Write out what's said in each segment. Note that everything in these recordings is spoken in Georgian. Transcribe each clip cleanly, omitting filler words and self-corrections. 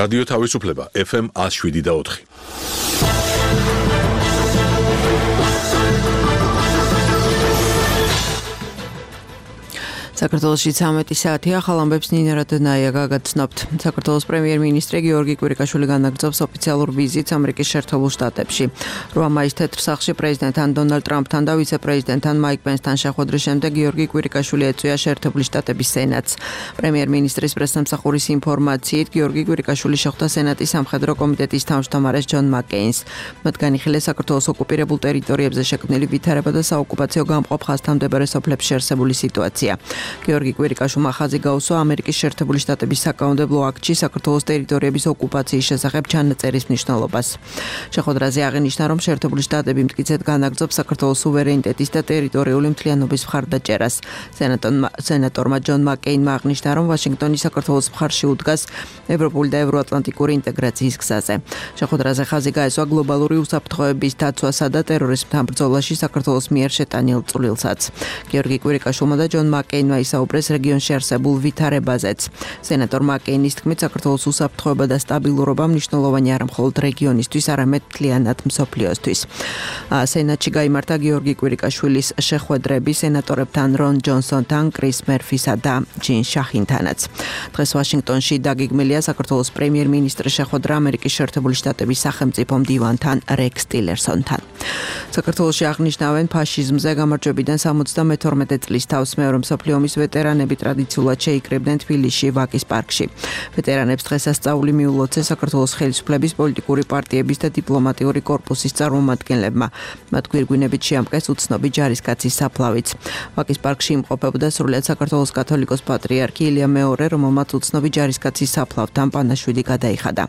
რადიო თავისუფლება FM 107.4. საქართველოში 13 საათია, ახალ ამბებს ნინო რადონაია გაგაცნობთ. საქართველოს პრემიერ-მინისტრი გიორგი კვირიკაშვილი განაგრძობს ოფიციალურ ვიზიტს ამერიკის შეერთებულ შტატებში. 8 მაისს თეთრ სახლში პრეზიდენტთან დონალდ ტრამპთან და ვიცე-პრეზიდენტთან მაიკ პენსთან შეხვედრის შემდეგ გიორგი კვირიკაშვილი ეწვია შეერთებული შტატების სენატს. პრემიერ-მინისტრის პრესსამსახურის ინფორმაციით, გიორგი კვირიკაშვილი შეხვდა სენატის სამხედრო კომიტეტის თავმჯდომარეს ჯონ მაკეინს. მათ განიხილეს საქართველოს ოკუპირებულ ტერიტორიებზე შექმნილი ვითარება და საოკუპაციო გამყოფ ხაზთან მდებარე სოფლებში არსებული სიტუაცია. გიორგი კვირიკაშვილმა ხაზი გაუსვა ამერიკის შეერთებული შტატების საკანონმდებლო აქტში საქართველოს ტერიტორიების ოკუპაციის შესახებ ჩანაწერის მნიშვნელობას. შეხვედრაზე აღინიშნა, რომ შეერთებული შტატები მტკიცედ განაგრძობს საქართველოს სუვერენიტეტის და ტერიტორიული მთლიანობის მხარდაჭერას. სენატორმა ჯონ მაკეინმა აღნიშნა, რომ ვაშინგტონი საქართველოს მხარში უდგას ევროპული და ევროატლანტიკური ინტეგრაციის გზაზე. შეხვედრაზე ხაზი გაესვა გლობალური უსაფრთხოების დაცვასა და ტერორიზმთან ბრძოლაში საქართველოს მიერ შეტანილ წვლილსაც. გიორგი კვირიკაშვილმა და ჯონ მაკეინმა ისაუბრეს რეგიონში არსებულ ვითარებაზეც. სენატორ მაკეინის თქმით, საქართველოს უსაფრთხოება და სტაბილურობა მნიშვნელოვანი არა მხოლოდ რეგიონისთვის, არამედ მთლიანად მსოფლიოსთვის. სენატში გაიმართა გიორგი კვირიკაშვილის შეხვედრები სენატორებთან რონ ჯონსონთან, კრის მერფისა და ჯინ შახინთანაც. დღეს ვაშინგტონში დაგეგმილია საქართველოს პრემიერ-მინისტრის შეხვედრა ამერიკის შეერთებული შტატების სახელმწიფო მდივანთან რექს ტილერსონთან. საქართველოში აღნიშნავენ ფაშიზმზე გამარჯვებიდან 72 წლის თავს მეორე მსოფლიო ომის ვეტერანები ტრადიციულად შეიკრიბნენ თბილისში ვაკის პარკში. ვეტერანებს დღესასწაული მიულოცეს საქართველოს ხელისუფლების პოლიტიკური პარტიების და დიპლომატიური კორპუსის წარმომადგენლებმა. მათ გვირგვინებით შეამკეს უცნობი ჯარისკაცის საფლავიც. ვაკის პარკში იმყოფებოდა სრულიად საქართველოს კათოლიკოს პატრიარქი ილია მეორე, რომელმაც უცნობი ჯარისკაცის საფლავთან პანაშვიდი გადაიხადა.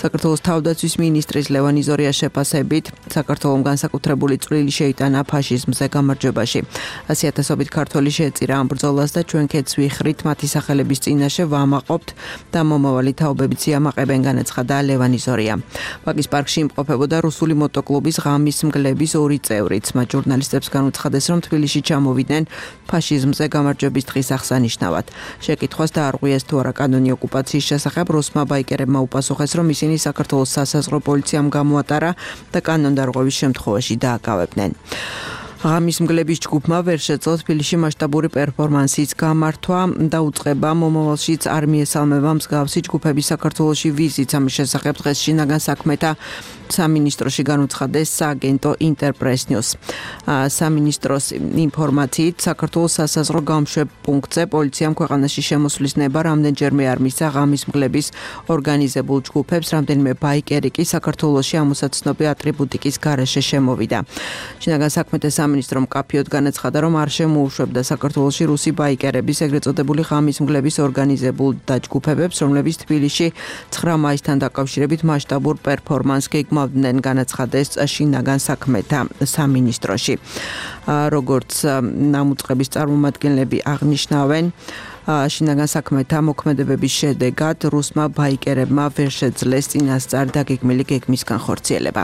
საქართველოს თავდაცვის მინისტრის ლევან იზორიას შეფასებით, საქართველომ განსაკუთრებული წვლილი შეიტანა ფაშიზმზე გამარჯვებაში. 100,000-ობით ქართველი შეეწირა ამ ბრძოლას და ჩვენ ქეთს ვიხრით მათი სახელების წინაშე ვამაყობთ და მომავალი თაობებიც იამაყებენ, განაცხადა ლევან იზორია. ვაკის პარკში იმყოფებოდა რუსული მოტოკლუბის ღამის მგლების 2 წევრიც. მათ ჟურნალისტებს განუცხადეს, რომ თბილისში ჩამოვიდნენ ფაშიზმზე გამარჯვების დღის აღსანიშნავად. შეკითხვას დაარღვიეს თუ არა კანონი ოკუპაციის შესახებ, რუსმა ბაიკერებმა უპასუხეს, რომ ისინი საქართველოს სასაზღვრო პოლიციამ გამოატარა და კანონდარღვევის შემთხვევაში დააკავებდნენ. ღამის მგლების ჯგუფმა ვერ შეძლო თბილისში მასშტაბური პერფორმანსის გამართვა და უწყება მომავალშიც არ მიესალმება მსგავსი ჯგუფების საქართველოში ვიზიტს. ამის შესახებ დღეს შინაგან საქმეთა სამინისტროში განუცხადეს სააგენტო ინტერპრეს ნიუს. სამინისტროს ინფორმაციით, საქართველოს სასაზღვრო გამშვებ პუნქტზე პოლიციამ ქვეყანაში შემოსვლის ნება რამდენჯერმე არ მისცა ღამის მგლების ორგანიზებულ ჯგუფებს, რამდენიმე ბაიკერი კი საქართველოში ამოსაცნობი ატრიბუტიკის გარეშე შემოვიდა. შინაგან საქმეთა სამინისტრომ კაფიოდ განაცხადა, რომ არ შემოუშვებდა საქართველოში რუსი ბაიკერების ეგრეთ წოდებული ღამის მგლების ორგანიზებულ დაჯგუფებებს, რომლებიც თბილისში 9 მაისთან დაკავშირებით მასშტაბურ პერფორმანსს გეგმავდნენ, განაცხადეს შინაგან საქმეთა სამინისტროში. როგორც ნამუწყების წარმომადგენლები აღნიშნავენ, შინაგან საქმეთა მოქმედებების შედეგად რუსმა ბაიკერებმა ვერ შეძლეს წინასწარ დაგეგმილი გეგმის განხორციელება.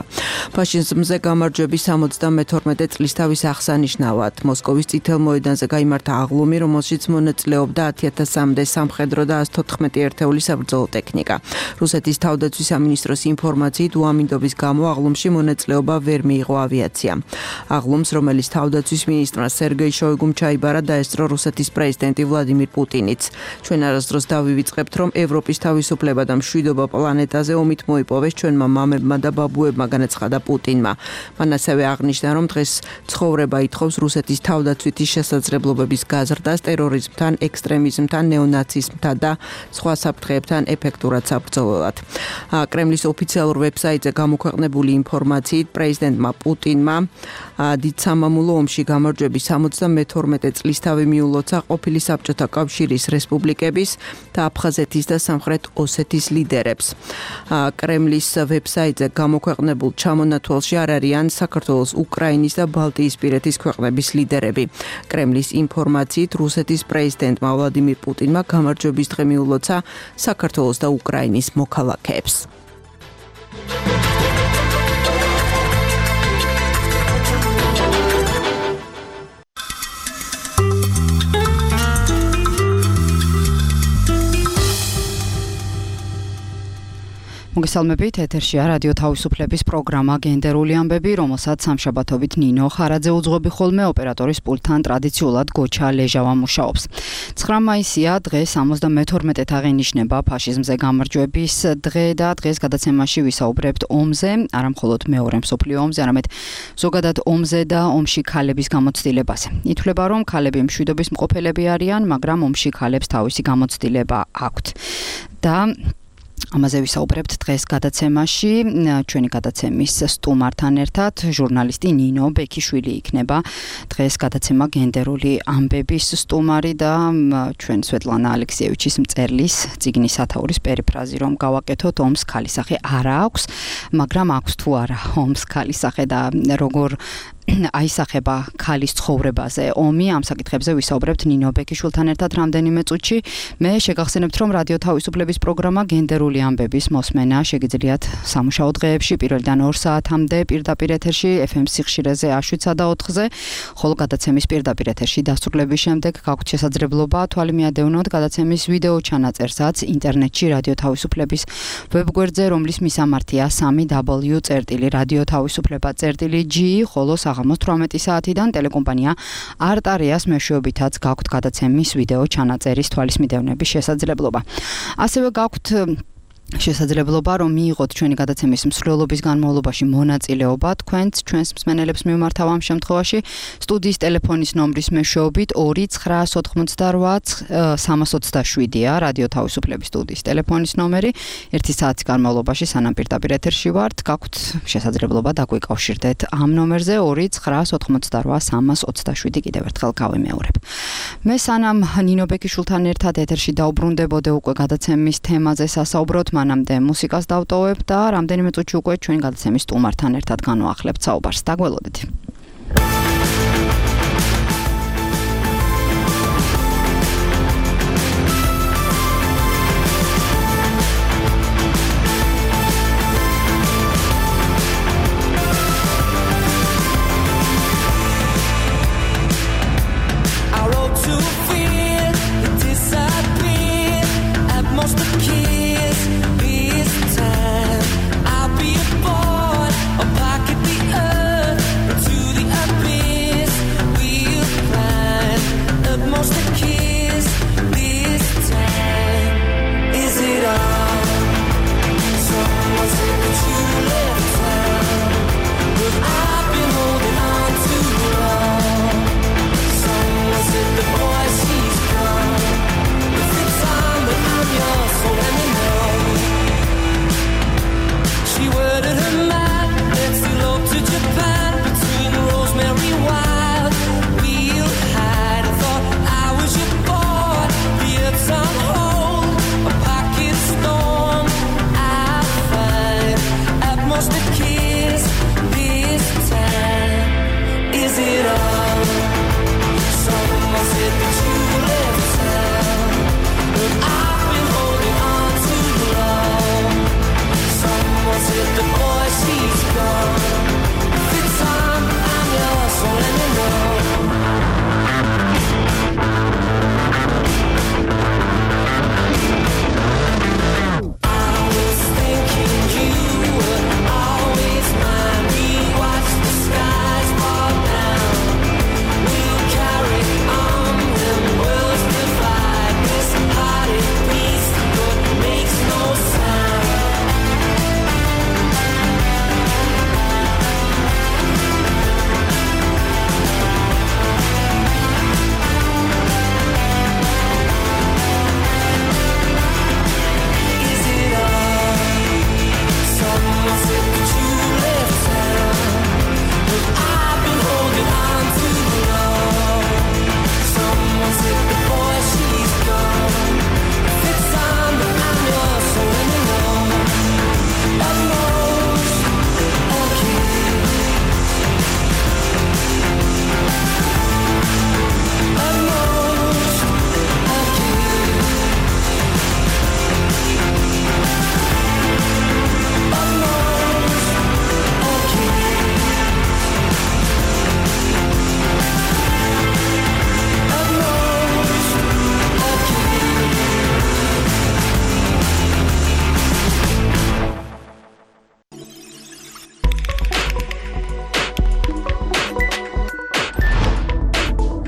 ფაშიზმზე გამარჯვების 72 წლისთავის აღსანიშნავად მოსკოვის წითელ მოედანზე გაიმართა აღლუმი, რომელშიც მონაწილეობდა 10,000-მდე სამხედრო და 114 ერთეული საბრძოლო ტექნიკა. რუსეთის თავდაცვის სამინისტროს ინფორმაციით, უამინდობის გამო აღლუმში მონაწილეობა ვერ მიიღო ავიაციამ. აღლუმს, რომელიც თავდაცვის მინისტრმა სერგეი შოიგუმ ჩაიბარა, დაესწრო რუსეთის პრეზიდენტი ვლადიმირ პუტინი. ჩვენ არასდროს დავივიწყებთ, რომ ევროპის თავისუფლება და მშვიდობა პლანეტაზე ომით მოიპოვეს ჩვენმა მამებმა და ბაბუებმა, განაცხადა პუტინმა. მან ასევე აღნიშნა, რომ დღეს ცხოვრება ითხოვს რუსეთის თავდაცვითი შესაძლებლობების გაზრდას ტერორიზმთან, ექსტრემიზმთან, ნეონაციზმთან და სხვა საფრთხეებთან ეფექტურად საბრძოლველად. კრემლის ოფიციალურ ვებსაიტზე გამოქვეყნებული ინფორმაციით, პრეზიდენტმა პუტინმა დიდ სამამულო ომში გამარჯვების 72 წლისთავი მიულოცა ყოფილი საბჭოთა კავშირის რესპუბლიკების და აფხაზეთის და სამხრეთ ოსეთის ლიდერებს. კრემლის ვებსაიტზე გამოქვეყნებულ ჩამონათვალში არ არიან საქართველოს, უკრაინის და ბალტიისპირეთის ქვეყნების ლიდერები. კრემლის ინფორმაციით, რუსეთის პრეზიდენტმა ვლადიმირ პუტინმა გამარჯვების დღე მიულოცა საქართველოს და უკრაინის მოქალაქეებს. მოგესალმებით, ეთერშია რადიო თავისუფლების პროგრამა გენდერული ამბები, რომელსაც სამშაბათობით ნინო ხარაძე უძღვები ხოლმე ოპერატორის პულტთან ტრადიციულად გოჩა ლეჟავა მუშაობს. 9 მაისია დღეს 72-ით აღინიშნება ფაშიზმზე გამარჯვების დღე და დღეს გადაცემაში ვისაუბრებთ ომზე, არა მხოლოდ მეორე მსოფლიო ომზე, არამედ ზოგადად ომზე და ომში ქალების გამოცდილებაზე. ითვლება, რომ ქალები მშვიდობის მყოფელები არიან, მაგრამ ომში ქალებს თავისი გამოცდილება აქვთ. და ამაზე ვისაუბრებთ დღეს გადაცემაში, ჩვენი გადაცემის სტუმართან ერთად ჟურნალისტი ნინო ბექიშვილი იქნება დღეს გადაცემა გენდერული ამბების სტუმარი და ჩვენ სვეტლანა ალექსიევიჩის მწერლის წიგნის სათაურის პერიფრაზი რომ გავაკეთოთ ომს ქალისახე არა აქვს, მაგრამ აქვს თუ არა ომს ქალისახე და როგორ აისახება ქალის ცხოვრებაზე ომი, ამ საკითხებზე ვისაუბრებთ ნინო ბექიშვილთან ერთად რამდენიმე წუთში. მე შეგახსენებთ, რომ რადიო თავისუფლების პროგრამა გენდერული ამბების მოსმენა შეგიძლიათ სამუშაო დღეებში 1-დან 2 საათამდე პირდაპირ ეთერში FM სიხშირეზე 7-სა და 4-ზე, ხოლო გადაცემის პირდაპირ ეთერში დასრულების შემდეგ გაქვთ შესაძლებლობა თვალი მიადევნოთ გადაცემის ვიდეო ჩანაწერსაც ინტერნეტში რადიო თავისუფლების ვებგვერდზე, რომლის მისამართია www.radiotavisufleba.g, ხოლო საღამოს 18 საათიდან ტელეკომპანია არტარიას მეშვეობითაც გაქვთ გადაცემის ვიდეო ჩანაწერის თვალის მიდევნების შესაძლებლობა. ასევე გაქვთ შესაძლებლობა რომ მიიღოთ ჩვენი გადაცემის მსვლელობის განმავლობაში მონაწილეობა თქვენც ჩვენს მსმენელებს მიმართავ ამ შემთხვევაში სტუდიის ტელეფონის ნომრის მეშვეობით 2-928-327-ია რადიო თავისუფლების სტუდიის ტელეფონის ნომერი. 1 საათის განმავლობაში სანამ პირდაპირ ეთერში ვართ, გაქვთ შესაძლებლობა დაგვიკავშირდეთ ამ ნომერზე 2-928-327 კიდევ ერთხელ გავიმეორებ. მე სანამ ნინო ბექიშვილთან ერთად ეთერში დაუბრუნდებოდე უკვე გადაცემის თემაზე სასაუბროთ, მანამდე მუსიკას დავტოვებ და რამდენიმე წუთში უკვე ჩვენ გადაცემის სტუმართან ერთად განვაახლებთ საუბარს. დაგველოდეთ. To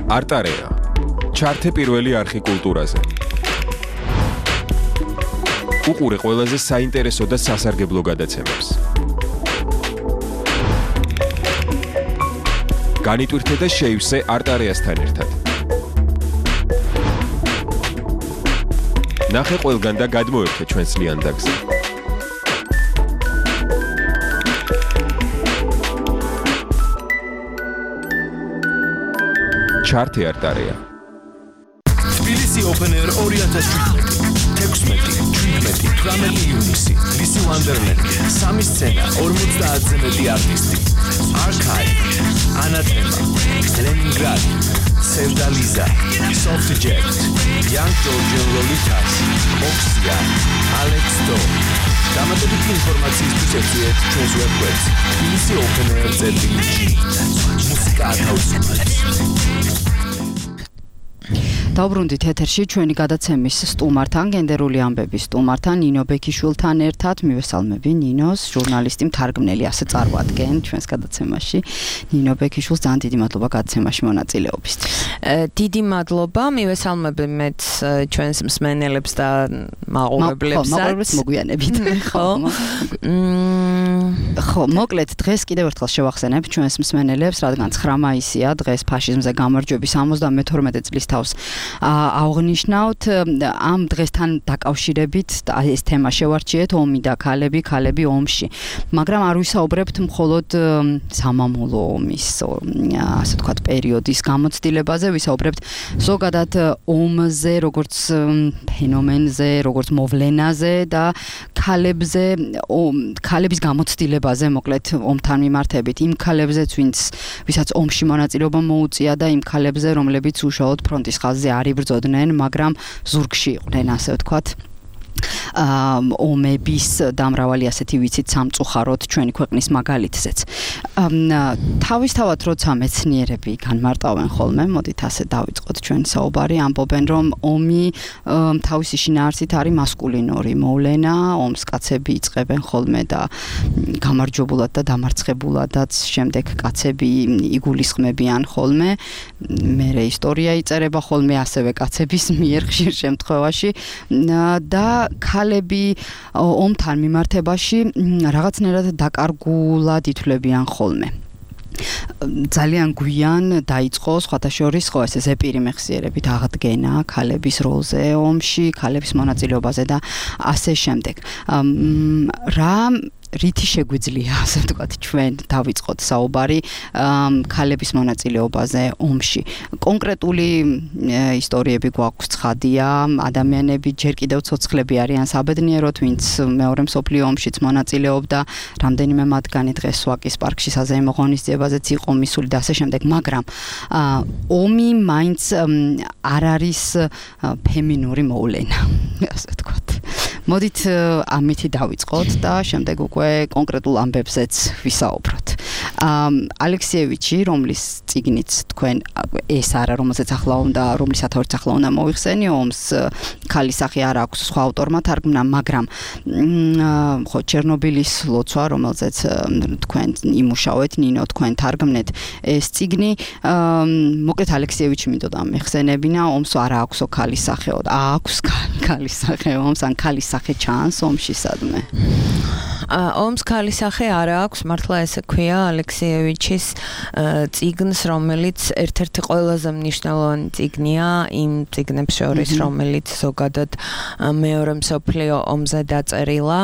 არტარეა. ჩართე პირველი არხი კულტურაზე. უყურე ყველაზე საინტერესო და სასარგებლო გადაცემებს. განიტვირთე და შეივსე არტარეასთან ერთად. ნახე ყველგან და გადმოერთე ჩვენს ლიანდაგზე. ჩართე არტარეა. თბილისი Open Air 2017. 16-17 ივნისი. თბილისი Wonderland. 3 სცენა, 50-ზე მეტი არტისტი. Archive, Anathema, Leningrad, Sevdaliza, Soft Jet, Young Georgian Lolitas, Oxia, Alex Do. დამატებითი ინფორმაციისთვის ეწვიეთ ჩვენს ვებგვერდს tbilisi.openair.gr. მუსიკა ათავისუფლებს. დავბრუნდით ეთერში ჩვენი გადაცემის სტუმართან, გენდერული ამბების სტუმართან, ნინო ბექიშვილთან ერთად. მივესალმები ნინოს, ჟურნალისტი, მთარგმნელი, ასე წარმოადგენ ჩვენს გადაცემაში. ნინო ბექიშვილს ძალიან დიდი მადლობა გადაცემაში მონაწილეობისთვის. დიდი მადლობა, მივესალმები მეც ჩვენს მსმენელებს და მაყურებლებსაც. მაყურებლებს მოგვიანებით. ხო, მოკლედ დღეს კიდევ ერთხელ შევახსენებ ჩვენს მსმენელებს, რადგან 9 მაისია, დღეს ფაშიზმზე გამარჯვების 72 წლის თავს აღნიშნავთ. ამ დღესთან დაკავშირებით ეს თემა შევარჩიეთ, ომი და ქალები, ქალები ომში. მაგრამ არ ვისაუბრებთ მხოლოდ სამამულო ომის, ასე ვთქვათ, პერიოდის გამოცდილებაზე, ვისაუბრებთ ზოგადად ომზე, როგორც ფენომენზე, როგორც მოვლენაზე და ქალებზე, ქალების გამოცდილებაზე, მოკლედ ომთან მიმართებით, იმ ქალებზეც, ვისაც ომში მონაწილეობა მოუწია და იმ ქალებზე, რომლებიც უშუალოდ ფრონტის ხაზზე არ იბრძოდნენ, მაგრამ ზურგში იყვნენ, ასე ვთქვათ. ომების და მრავალი ასეთი ვიცით სამწუხაროდ ჩვენი ქვეყნის მაგალითზეც. თავისთავად როცა მეცნიერები განმარტავენ ხოლმე, მოდით ასე დავიწყოთ ჩვენი საუბარი, ამბობენ რომ ომი თავისი შინაარსით არის მასკულინური მოვლენა, ომს კაცები იწყებენ ხოლმე და გამარჯვებულად და დამარცხებულადაც შემდეგ კაცები იგულისხმებიან ხოლმე, მერე ისტორია იწერება ხოლმე ასევე კაცების მიერ ხშირ შემთხვევაში და ქალები ომთან მიმართებაში რაღაცნაირად დაკარგულად ითვლებიან ხოლმე. ძალიან გვიან დაიწყო სხვათა შორის ხო ეს ზეპირი მეხსიერებით აღდგენა ქალების როლზე ომში, ქალების მონაწილეობაზე და ასე შემდეგ. რა რითი შეგვიძლია, ასე ვთქვათ, ჩვენ დავიწყოთ საუბარი ქალების მონაწილეობაზე ომში. კონკრეტული ისტორიები გვაქვს ცხადია, ადამიანები ჯერ კიდევ ცოცხლები არიან საბედნიეროდ, ვინც მეორე მსოფლიო ომშიც მონაწილეობდა, რამდენიმე მათგანი დღეს ვაკის პარკში საზეიმო ღონისძიებაზეც იყო მისული და ასე შემდეგ, მაგრამ ომი მაინც არ არის ფემინური მოვლენა, ასე ვთქვათ. მოდით ამითი დავიწყოთ და შემდეგ უკვე კონკრეტულ ამბებზეც ვისაუბროთ. ალექსიევიჩი, რომლის წიგნიც თქვენ ეს არა, რომელზეც ახლა უნდა, რომლის ათაურიც ახლა უნდა მოიხსენიო, ომს ქალის სახე არ აქვს სხვა ავტორმა თარგმნა, მაგრამ ხო ჩერნობილის ლოცვა, რომელზეც თქვენ იმუშავეთ, ნინო, თქვენ თარგმნეთ ეს წიგნი, მოკლედ ალექსიევიჩი მინდოდა მეხსენებინა, ომს არ აქვს ქალის სახეო, აქვს ქალის სახე ომს, ან ქალის სახე ჩანს ომში სადმე. ომს ქალის სახე არ აქვს, მართლა ესე ქვია ალექსიევიჩის წიგნს, რომელიც ერთ-ერთი ყველაზე მნიშვნელოვანი წიგნია იმ წიგნებს შორის, რომელიც ზოგადად მეორე მსოფლიო ომზე დაწერილა.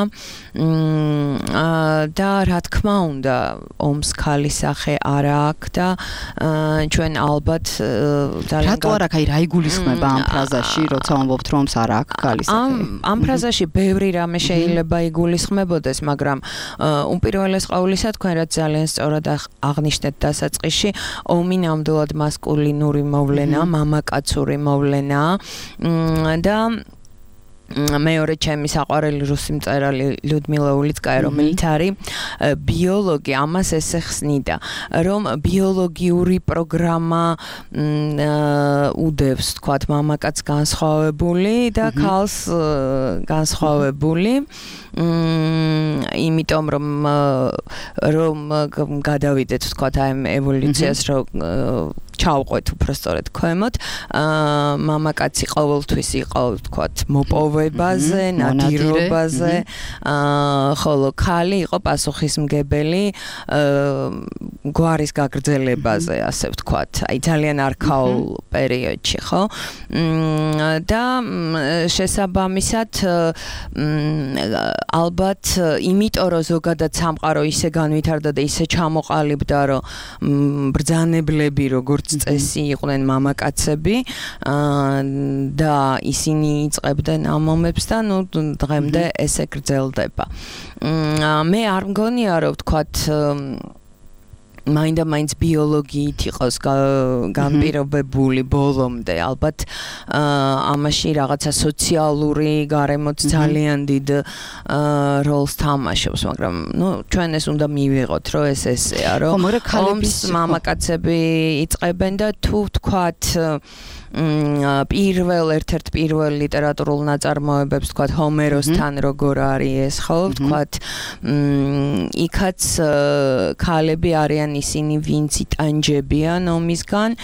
და რა თქმა უნდა, ომს ქალის სახე არ აქვს და ჩვენ ალბათ ძალიან რატო არ აქვს, რა იგულისხმება ამ ფრაზაში, როცა ამბობთ რომ ომს არ აქვს ქალის სახე? ამ ფრაზაში ბევრი რამე შეიძლება იგულისხმებოდეს, მაგრამ უპირველეს ყოვლისა თქვენ რაც ძალიან სწორად აღნიშნეთ დასაწყისში, ომი ნამდვილად მასკულინური მოვლენა, მამაკაცური მოვლენა და მეორე ჩემი საყვარელი რუსი მწერალი ლიუდმილა ულიცკაია, რომელიც არის ბიოლოგი, ამას ესე ხსნიდა, რომ ბიოლოგიური პროგრამა უდევს, თქვათ, მამაკაც განსხვავებული და ქალს განსხვავებული. იმიტომ რომ გადავიდეთ, თქვათ, აი ევოლუციას, რომ ჩავყვეთ უბრალოდ ქვემოთ. მამაკაცი ყოველთვის იყო ვთქვათ მოპოვებაზე, ნადირობაზე, ხოლო ქალი იყო პასუხისმგებელი გვარის გაგრძელებაზე, ასე ვთქვათ. აი ძალიან არქაულ პერიოდში, ხო? და შესაბამისად ალბათ იმიტომ რომ ზოგადად სამყარო ისე განვითარდა და ისე ჩამოყალიბდა რომ ბრძანებლები როგორც წესი იყვნენ მამაკაცები და ისინი იწყებდნენ ამ მომებს და ნუ დღემდე ესე გრძელდება. მე არ მგონია რომ ვთქვათ მაინდა-მაინც ბიოლოგიით იყოს განპირობებული ბოლომდე. ალბათ ამაში რაღაცა სოციალური გარემოც ძალიან დიდ როლს თამაშობს, მაგრამ ნუ ჩვენ ეს უნდა მივიღოთ, რომ ეს ესეა, რომ ომს მამაკაცები იწყებენ და თუ ვთქვათ ერთ-ერთ პირველ ლიტერატურულ ნაწარმოებებს ვთქვათ ჰომეროსთან როგორ არის ეს, ხო, ვთქვათ იქაც ქალები არიან ისინი ვინც იტანჯებიან ომისგან,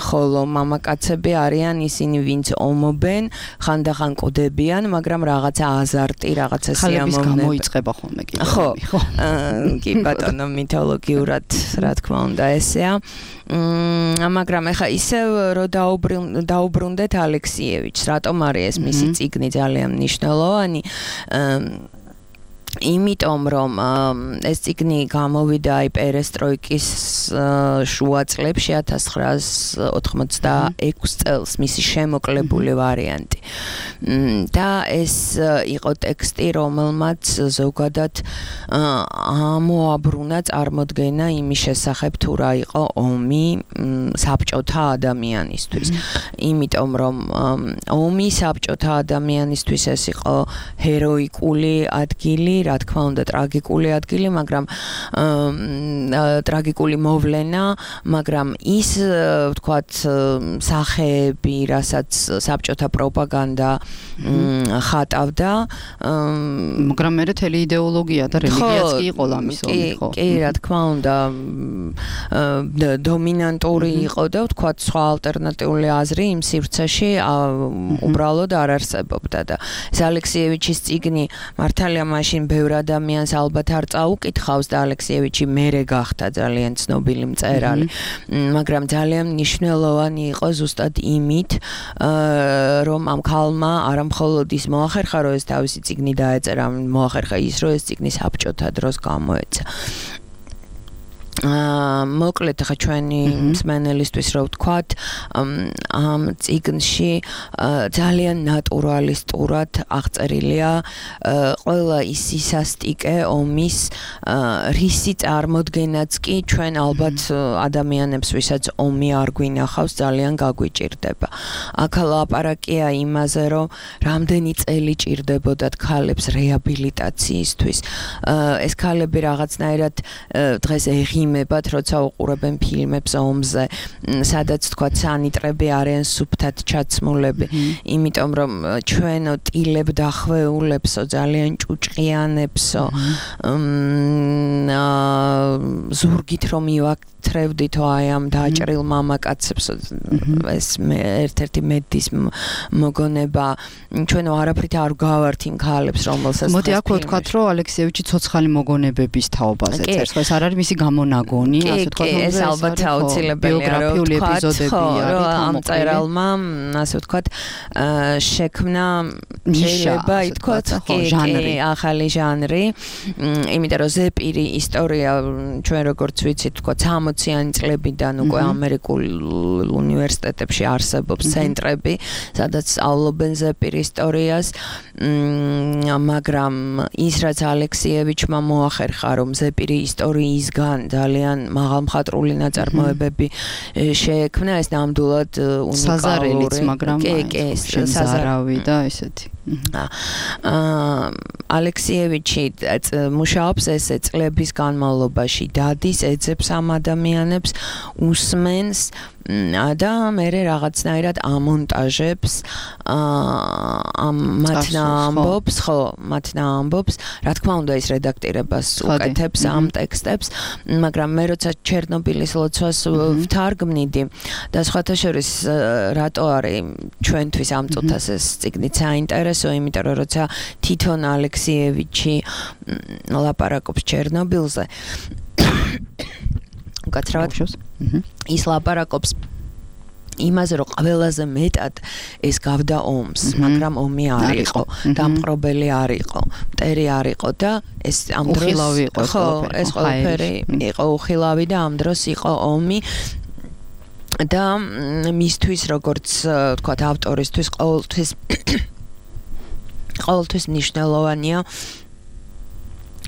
ხოლო მამაკაცები არიან ისინი ვინც ომობენ, ხანდახან კვდებიან, მაგრამ რაღაცა აზარტი, რაღაცა სიამოვნება. ქალების გამოიწყება ხოლმე კიდე. ხო, კი ბატონო მითოლოგიურად რა თქმა უნდა ესეა. მაგრამ ეხა ისევ რომ დაუბრუნდეთ ალექსიევიჩს, რატომ არის ეს მისი წიგნი ძალიან მნიშვნელოვანი? იმიტომ რომ ეს წიგნი გამოვიდა აი პერესტროიკის შუა წლებში 1986 წელს მისი შემოკლებული ვარიანტი. და ეს იყო ტექსტი, რომელმაც ზოგადად ამოაბრუნა წარმოდგენა იმის შესახებ თუ რა იყო ომი საბჭოთა ადამიანისთვის. იმიტომ რომ ომი საბჭოთა ადამიანისთვის ეს იყო ჰეროიკული ადგილი, რა თქმა უნდა ტრაგიკული ადგილი, მაგრამ ტრაგიკული მოვლენა, მაგრამ ის ვთქვათ სახეები, რასაც საბჭოთა პროპაგანდა ხატავდა, მაგრამ მე თელი იდეოლოგია და რელიგიაც კი იყო ამის ომი, ხო? კი, რა თქმა უნდა დომინანტური იყო და ვთქვათ სხვა ალტერნატიული აზრი იმ სივრცეში უბრალოდ არ არსებობდა და ეს ალექსიევიჩის წიგნი მართალია მაშინ ბევრ ადამიანს ალბათ არ წაუკითხავს და ალექსიევიჩი მერე გახდა ძალიან ცნობილი მწერალი, მაგრამ ძალიან მნიშვნელოვანი იყო ზუსტად იმით, რომ ამ ქალმა არა მხოლოდ ის მოახერხა, რომ ეს თავისი წიგნი დაეწერა, მოახერხა ის, რომ ეს წიგნი საბჭოთა დროს გამოეცა. მოკლედ ხა ჩვენი მსმენელისთვის რო ვთქვათ, ამ წიგნში ძალიან ნატურალისტურად აღწერილია ყველა ის სისასტიკე ომის, რისი წარმოდგენაც კი ჩვენ ალბათ ადამიანებს, ვისაც ომი არ გვინახავს, ძალიან გაგვიჭირდება. აქ ლაპარაკია იმაზე, რომ რამდენი წელი ჭირდებოდათ ქალებს რეაბილიტაციისთვის. ეს ქალები რაღაცნაირად დღეს იღიმებათ, როცა უყურებენ ფილმებს ომზე, სადაც თქვა სანიტრები არიან სუფთად ჩაცმულები, იმიტომ რომ ჩვენო ტილებ დახვეულებსო, ძალიან ჭუჭყიანებსო, ზურგით რომ მივაქცევდითო აი ამ დაჭრილ მამაკაცებსო, ეს ერთ-ერთი მედის მოგონება, ჩვენო არაფრით არ გავართ იმ ქალებს, რომელსაც მოდი აქ ვთქვათ, რომ ალექსიევიჩი ცოცხალი მოგონებების თაობაზე წერს, ხო ეს არ არის მისი გამონაგონი, ასე ვთქვათ, ეს ალბათ აუცილებელია, რომ ამ წერალმა, ასე ვთქვათ, შექმნა შეიძლება ითქვათ, ახალი ჟანრი, იმიტომ რომ ზეპირი ისტორია ჩვენ როგორც ვიცით, ვთქვათ, 60-იანი წლებიდან უკვე ამერიკულ უნივერსიტეტებში არსებობს ცენტრები, სადაც სწავლობენ ზეპირ ისტორიას, მაგრამ ის რაც ალექსიევიჩმა მოახერხა, რომ ზეპირი ისტორიისგან ძალიან მაღალმხატვრული ნაწარმოებები შეექმნა, ეს ნამდვილად უნიკალური საზარელიც, მაგრამ საზარავი და ესეთი. ალექსიევიჩი მუშაობს ესე წლების განმავლობაში, დადის, ეძებს ამ ადამიანებს, უსმენს და მე რაღაცნაირად ამონტაჟებს მათნა ამბობს, რა თქმა უნდა ის რედაქტირებას უკეთებს ამ ტექსტებს, მაგრამ მე როცა ჩერნობილის ლოცვას ვთარგმნიდი და სხვათა შორის რატო არის ჩვენთვის ამ წუთას ეს წიგნი საინტერესო, იმიტომ რომ როცა თითონ ალექსიევიჩი ლაპარაკობს ჩერნობილზე უკაცრავად ის ლაპარაკობს იმაზე რომ ყველაზე მეტად ეს გავდა ომს, მაგრამ ომი არ იყო, დამპყრობელი არ იყო, მტერი არ იყო და ეს ამ დროს ეს ყველაფერი იყო უხილავი და ამ დროს იყო ომი და მისთვის როგორც თქვათ ავტორისთვის ყოველთვის მნიშვნელოვანია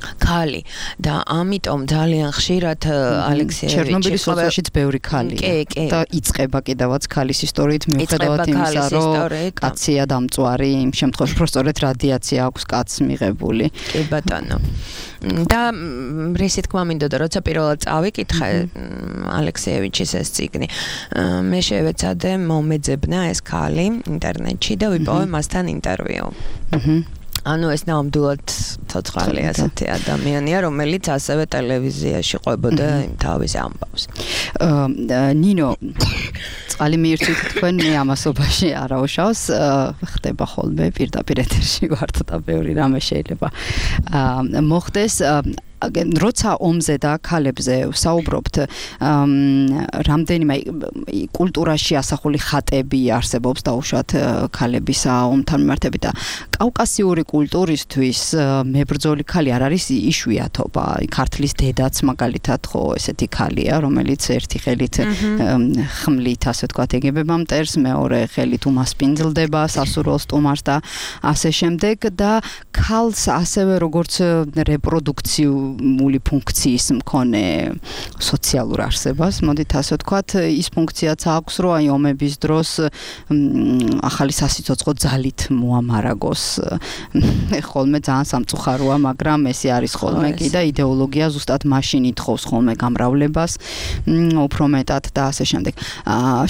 ქალი და ამიტომ ძალიან ხშირად ალექსიევიჩი ჩერნობილის ლოცვაშიც ბევრი ქალია და იწყება კიდევაც ქალის ისტორიით მიუხედავად იმისა რომ კაცია დამწვარი იმ შემთხვევაში რომ სწორედ რადიაცია აქვს კაცს მიღებული კი ბატონო და რისი თქმა მინდოდა როცა პირველად წავიკითხე ალექსიევიჩის ეს წიგნი მე შევეცადე მომეძებნა ეს ქალი ინტერნეტში და ვიპოვე მასთან ინტერვიუ ანუ ეს ნამდვილად ცოცხალი ასეთი ადამიანია, რომელიც ასევე ტელევიზიაში ყვებოდა თავის ამბავს. ნინო, წყალი მიირთვით თქვენ მე ამასობაში არაუშავს, ხდება ხოლმე პირდაპირ ეთერში ვართ და ბევრი რამე შეიძლება მოხდეს. როცა ომზე და ქალებზე ვსაუბრობთ, რამდენიმე კულტურაში ასახული ხატები არსებობს დაუშვათ ქალებისა ომთან მიმართებით და კავკასიური კულტურისთვის მებრძოლი ქალი არ არის იშვიათობა. ქართლის დედაც მაგალითად ხო ესეთი ქალია, რომელიც ერთი ხელით ხმლით ასე ვთქვათ ეგებება მტერს, მეორე ხელით უმასპინძლდება სასურველ სტუმარს და ასე შემდეგ და ქალს ასევე როგორც რეპროდუქციული ფუნქციის მქონე სოციალურ არსებას, მოდით ასე ვთქვათ, ის ფუნქციაც აქვს, რომ აი ომების დროს ახალი სასიცოცხლო ძალით მოამარაგოს. ხოლმე ძალიან სამწუხაროა, მაგრამ ესე არის ხოლმე კი და იდეოლოგია ზუსტად მაშინ ითხოვს ხოლმე გამრავლებას, უფრო მეტად და ასე შემდეგ.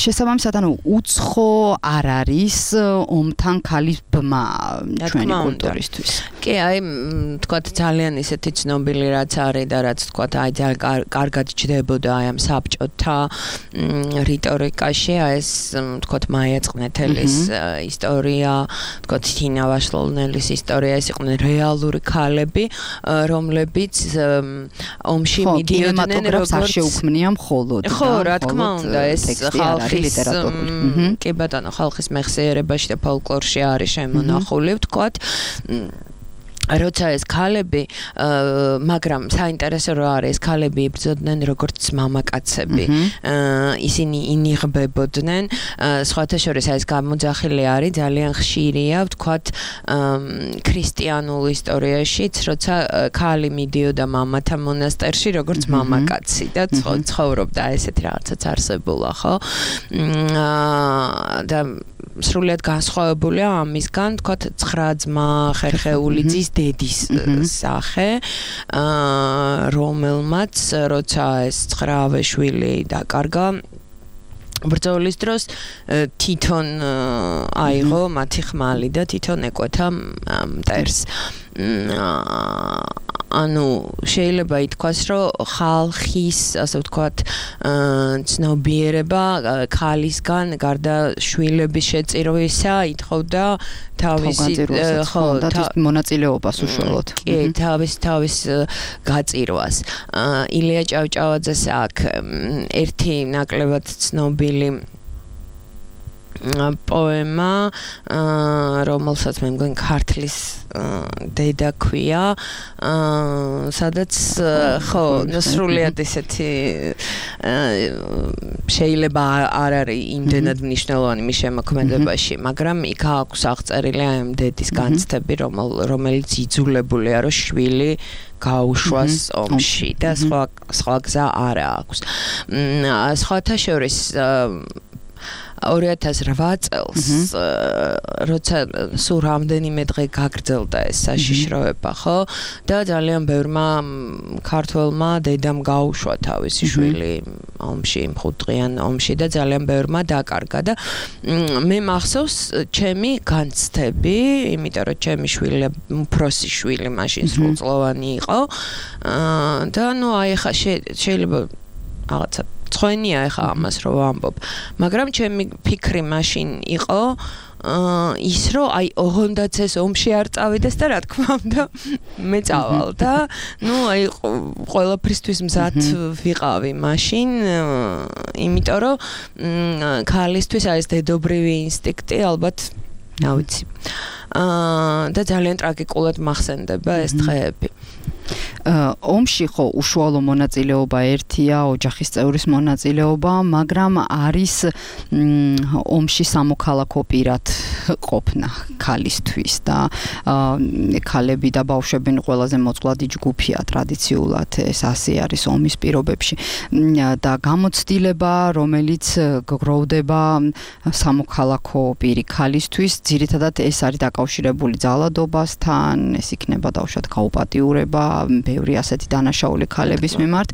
შესაბამისად, ანუ უცხო არ არის ომთან ქალის ბმა ჩვენი კულტურისთვის. კი, აი, თქვათ ძალიან ისეთი ცნობილი რაც არის და რაც თქვათ აი ძალიან კარგად ჯდებოდა აი ამ საბჭოთა რიტორიკაში, აი ეს თქვათ მაია წყნეთელის ისტორია, თქვათ თინა ვაშლოვნელის ისტორია, ეს იყვნენ რეალური ქალები, რომლებიც ომში მიდიოდნენ როგორც არ შეუქმნია მხოლოდ. ხო, რა თქმა უნდა, ეს ხალხის კი ბატონო, ხალხის მეხსიერებაში და ფოლკლორში არის შემონახული, ვთქვათ. როცა ეს ქალები, მაგრამ საინტერესო რა არის, ეს ქალები იბრძოდნენ როგორც მამაკაცები. ისინი ინიღბებოდნენ, სხვათა შორის ეს გამოძახილი არის, ძალიან ხშირია, ვთქვათ, ქრისტიანულ ისტორიაშიც, როცა ქალი მიდიოდა მამათა მონასტერში, როგორც მამაკაცი და ცხოვრობდა, ესეთი რაღაცაც არსებულა, ხო? და სრულიად განსხვავებულია ამისგან, თქვათ, 9 ძმა ხერხეული ძის დედის სახე, რომელმაც როცა ეს 9 შვილი დაკარგა ბრძოლის დროს თვითონ აიღო მათი ხმალი და თვითონ ეკვეთა მტერს. ანუ შეიძლება ითქვას, რომ ხალხის, ასე ვთქვათ, ცნობიერება ქალისგან გარდა შვილების შეწირვისა ითხოვდა თავისი მონაწილეობას უშუალოდ. კი, თავის გაწირვას. ილია ჭავჭავაძეს აქვს ერთი ნაკლებად ცნობილი პოემა, რომელსაც მე მგონი ქართლის დედა ქვია, სადაც ხო, სრულიად ესეთი შეიძლება არ არის იმდენად მნიშვნელოვანი მის შემოქმედებაში, მაგრამ იქ აქვს აღწერილი ამ დედის განცდები, რომელიც იძულებულია, რომ შვილი გაუშვას ომში და სხვა გზა არ აქვს. სხვათა შორის 2008 წელს როცა სულ რამდენიმე დღე გაგრძელდა ეს საშიშროება, ხო? და ძალიან ბევრმა ქართველმა დედამ გაუშვა თავისი შვილი ომში, მხუთდღიან ომში და ძალიან ბევრმა დაკარგა და მე მახსოვს ჩემი განცდები, იმიტომ რომ ჩემი შვილი უფროსი შვილი მაშინ სრულწლოვანი იყო და აი ხა შეიძლება რაღაცა ცხენია ხა ამას რომ ვამბობ, მაგრამ ჩემი ფიქრი მაშინ იყო ის რომ აი ოღონდაც ეს ომში არ წავიდეს და რა თქმა უნდა მე წავალ და აი ყველაფრისთვის მზად ვიყავი მაშინ, იმიტომ რომ ქალისთვის აი ეს დედობრივი ინსტინქტი ალბათ ავიცი და ძალიან ტრაგიკულად მახსენდება ეს დღეები. ომში ხო უშუალო მონაწილეობა ერთია, ოჯახის წევრის მონაწილეობა, მაგრამ არის ომში სამოქალაქო პირად ყოფნა ქალისთვის და ქალები და ბავშვები ყველაზე მოწყვლადი ჯგუფია ტრადიციულად, ეს ასე არის ომის პირობებში და გამოცდილება, რომელიც გროვდება სამოქალაქო პირი ქალისთვის, ძირითადად ეს არის დაკავშირებული ძალადობასთან, ეს იქნება დავუშვათ გაუპატიურება ბევრი ასეთი დანაშაული ქალების მიმართ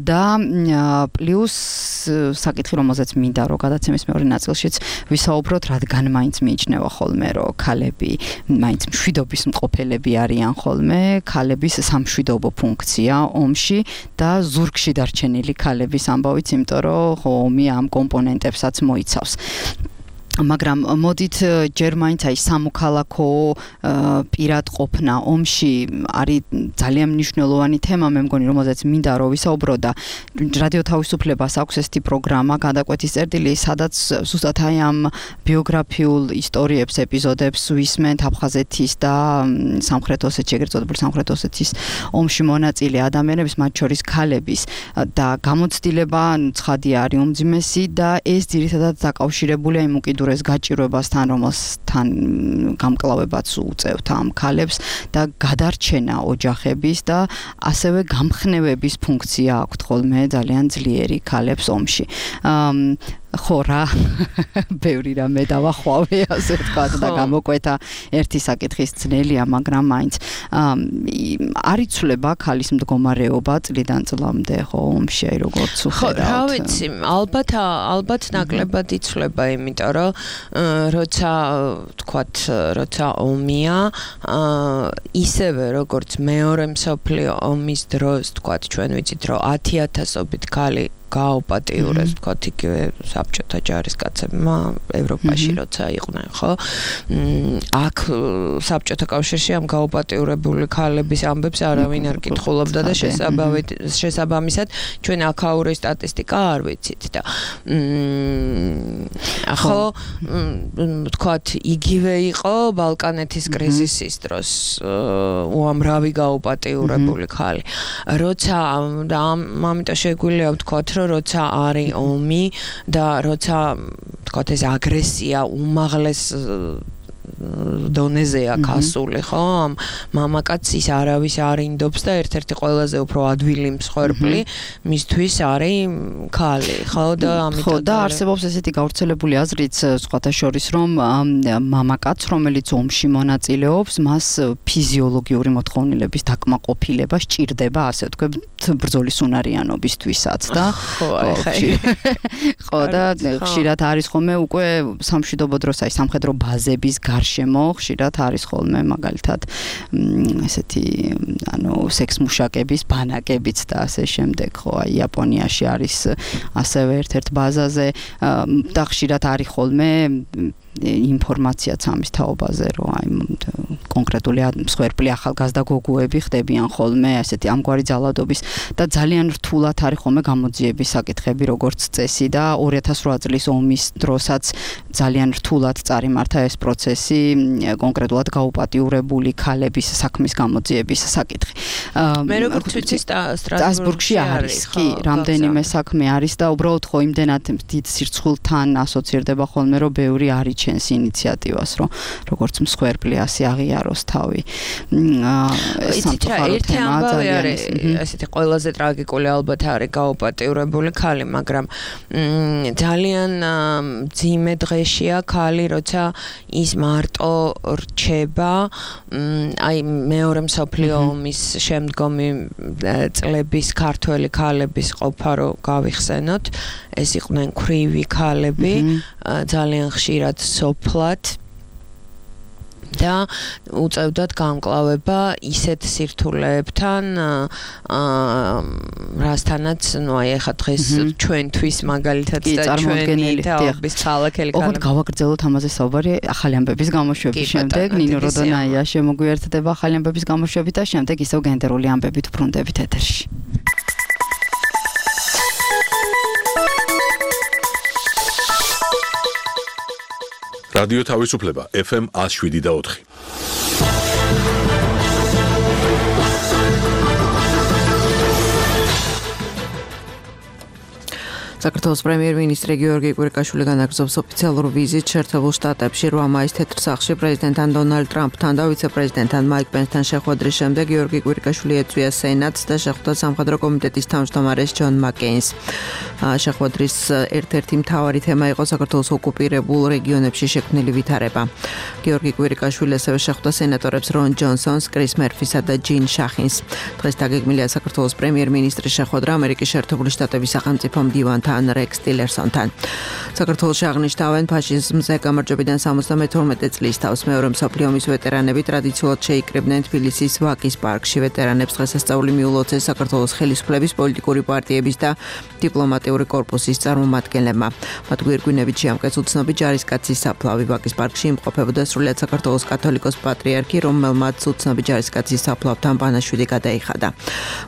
და პლუს საკითხი, რომელზეც მინდა რომ გადაცემის მეორე ნაწილშიც ვისაუბროთ, რადგან მაინც მიიჩნევა ხოლმე რომ ქალები მაინც მშვიდობის მყოფელები არიან ხოლმე, ქალების სამშვიდობო ფუნქცია ომში და ზურგში დარჩენილი ქალების ამბავიც, იმიტომ რომ ომი ამ კომპონენტებსაც მოიცავს. მაგრამ მოდით ჯერ მაინც აი სამოქალაქო პირად ყოფნა ომში არის ძალიან მნიშვნელოვანი თემა, მე მგონი, რომელზეც მინდა რომ ვისაუბრო და რადიო თავისუფლებას აქვს ესეთი პროგრამა გადაკვეთის წერტილი, სადაც ზუსტად აი ამ ბიოგრაფიულ ისტორიებს, ეპიზოდებს ვისმენთ აფხაზეთის და სამხრეთ ოსეთის, ეგრეთ წოდებული სამხრეთ ოსეთის ომში მონაწილე ადამიანების, მათ შორის ქალების და გამოცდილება ცხადია არის უმძიმესი და ეს ძირითადად დაკავშირებულია იმ უკიდურეს გაჭირვებასთან, რომელსთან გამკლავებაც უწევთ ამ ქალებს და გადარჩენა ოჯახების და ასევე გამხნევების ფუნქცია აქვთ ხოლმე ძალიან ძლიერი ქალებს ომში. ხო რა ბევრი რამე დავახვავე ასე ვთქვათ და გამოკვეთა ერთი საკითხის ძნელია, მაგრამ მაინც არ იცვლება ქალის მდგომარეობა წლიდან წლამდე ხო ომში, აი როგორც ვხედავთ. რა ვიცი, ალბათ ნაკლებად იცვლება, იმიტომ რომ როცა ომია, ისევე როგორც მეორე მსოფლიო ომის დროს, ვთქვათ, ჩვენ ვიცით რომ 10,000-ობით ქალი გააუპატიურეს, ვთქვათ, იგივე საბჭოთა ჯარისკაცებმა ევროპაში როცა იყვნენ, ხო? აქ საბჭოთა კავშირში ამ გააუპატიურებული ქალების ამბებს არავინ არ კითხულობდა და შესაბამისად ჩვენ აქაური სტატისტიკა არ ვიცით და ხო, ვთქვათ, იგივე იყო ბალკანეთის კრიზისის დროს უამრავი გააუპატიურებული ქალი. როცა და ამიტომ შეგვიძლია ვთქვათ, როცა არის ომი და როცა თქვათ ეს აგრესია უმაღლეს დონეზეა გასული, ხო? მამაკაცის არავის არ ინდობს და ერთ-ერთი ყველაზე უფრო ადვილი მსხვერპლი მისთვის არის ქალი, ხო? და ამიტომ და არსებობს ესეთი გავრცელებული აზრიც სხვათა შორის, რომ მამაკაც, რომელიც ომში მონაწილეობს, მას ფიზიოლოგიური მოთხოვნილების დაკმაყოფილება სჭირდება, ასე ვთქვათ, ბრძოლის უნარიანობისთვისაც და ხო და ხშირად არის ხოლმე უკვე სამშვიდობო დროს აი სამხედრო ბაზების გარშემო ხშირად არის ხოლმე მაგალითად ესეთი სექს მუშაკების ბანაკებიც და ასე შემდეგ, ხო, აი იაპონიაში არის ასევე ერთ-ერთ ბაზაზე და ხშირად არის ხოლმე ინფორმაციაც ამის თაობაზე, რომ აი კონკრეტული მსხვერპლი ახალგაზრდა გოგოები ხდებიან ხოლმე ასეთი ამგვარი ძალადობის და ძალიან რთულად არის ხოლმე გამოძიების საკითხები როგორც წესი და 2008 წლის ომის დროსაც ძალიან რთულად წარიმართა ეს პროცესი კონკრეტულად გაუპატიურებული ქალების საქმის გამოძიების საკითხი. მე როგორც ვიცი სტრასბურგში არის, კი, რამდენიმე საქმე არის და უბრალოდ ხო იმდენად დიდ სირცხულთან ასოცირდება ხოლმე, რომ ბევრი არიჩენს ინიციატივას, რომ როგორც მსხვერპლი ასე აღიაროს. გაატაროს თავი. ერთი ამბავი არის ესეთი ყველაზე ტრაგიკული ალბათ არის გაუპატიურებული ქალი, მაგრამ ძალიან ძიმე დღეშია ქალი, როცა ის მარტო რჩება, აი მეორე მსოფლიო ომის შემდგომი წლების ქართველი ქალების ყოფა რო გავიხსენოთ, ეს იყვნენ ქვრივი ქალები, ძალიან ხშირად სოფლად და უწევდათ გამკლავება ისეთ სირთულეებთან, რასთანაც, აი ახლა დღეს ჩვენთვის მაგალითად და ჩვენი თაობის ქალაქელი ქალები. ოღონდ გავაგრძელოთ ამაზე საუბარი ახალი ამბების გამოშვების შემდეგ. ნინო როდონაია შემოგვიერთდება ახალი ამბების გამოშვებით და შემდეგ ისევ გენდერული ამბებით ვბრუნდებით ეთერში. რადიო თავისუფლება FM 107.4. საქართველოს პრემიერ-მინისტრი გიორგი კვირიკაშვილი განაგრძობს ოფიციალურ ვიზიტს შეერთებულ შტატებში 8 მაისს თეთრ სახლში პრეზიდენტთან დონალდ ტრამპთან და ვიცე-პრეზიდენტთან მაიკ პენსთან შეხვედრის შემდეგ გიორგი კვირიკაშვილი ეწვია სენატს და შეხვდა სამხედრო კომიტეტის თავმჯდომარეს ჯონ მაკეინს. შეხვედრის ერთ-ერთი მთავარი თემა იყო საქართველოს ოკუპირებულ რეგიონებში შექმნილი ვითარება. გიორგი კვირიკაშვილი ასევე შეხვდა სენატორებს რონ ჯონსონს, კრის მერფისა და ჯინ შახინს. დღეს დაგეგმილია საქართველოს პრემიერ-მინისტრის შეხვედრა ამერიკის შეერთებული შტატების სახელმწიფო მდივანთან რექს ტილერსონთან. საქართველოში აღნიშნავენ ფაშიზმზე გამარჯვებიდან 72 წლის თავს მეორე მსოფლიო ომის ვეტერანები ტრადიციულად შეიკრიბნენ თბილისის ვაკის პარკში. ვეტერანებს დღესასწაული მიულოცეს საქართველოს ხელისუფლების პოლიტიკური პარტიების და დიპლომატიური კორპუსის წარმომადგენლებმა. მათ გვირგვინებით შეამკეს უცნობი ჯარისკაცის საფლავი. ვაკის პარკში იმყოფებოდა სრულიად საქართველოს კათოლიკოს პატრიარქი, რომელმაც უცნობი ჯარისკაცის საფლავთან ბანაშვილი გადაიხადა.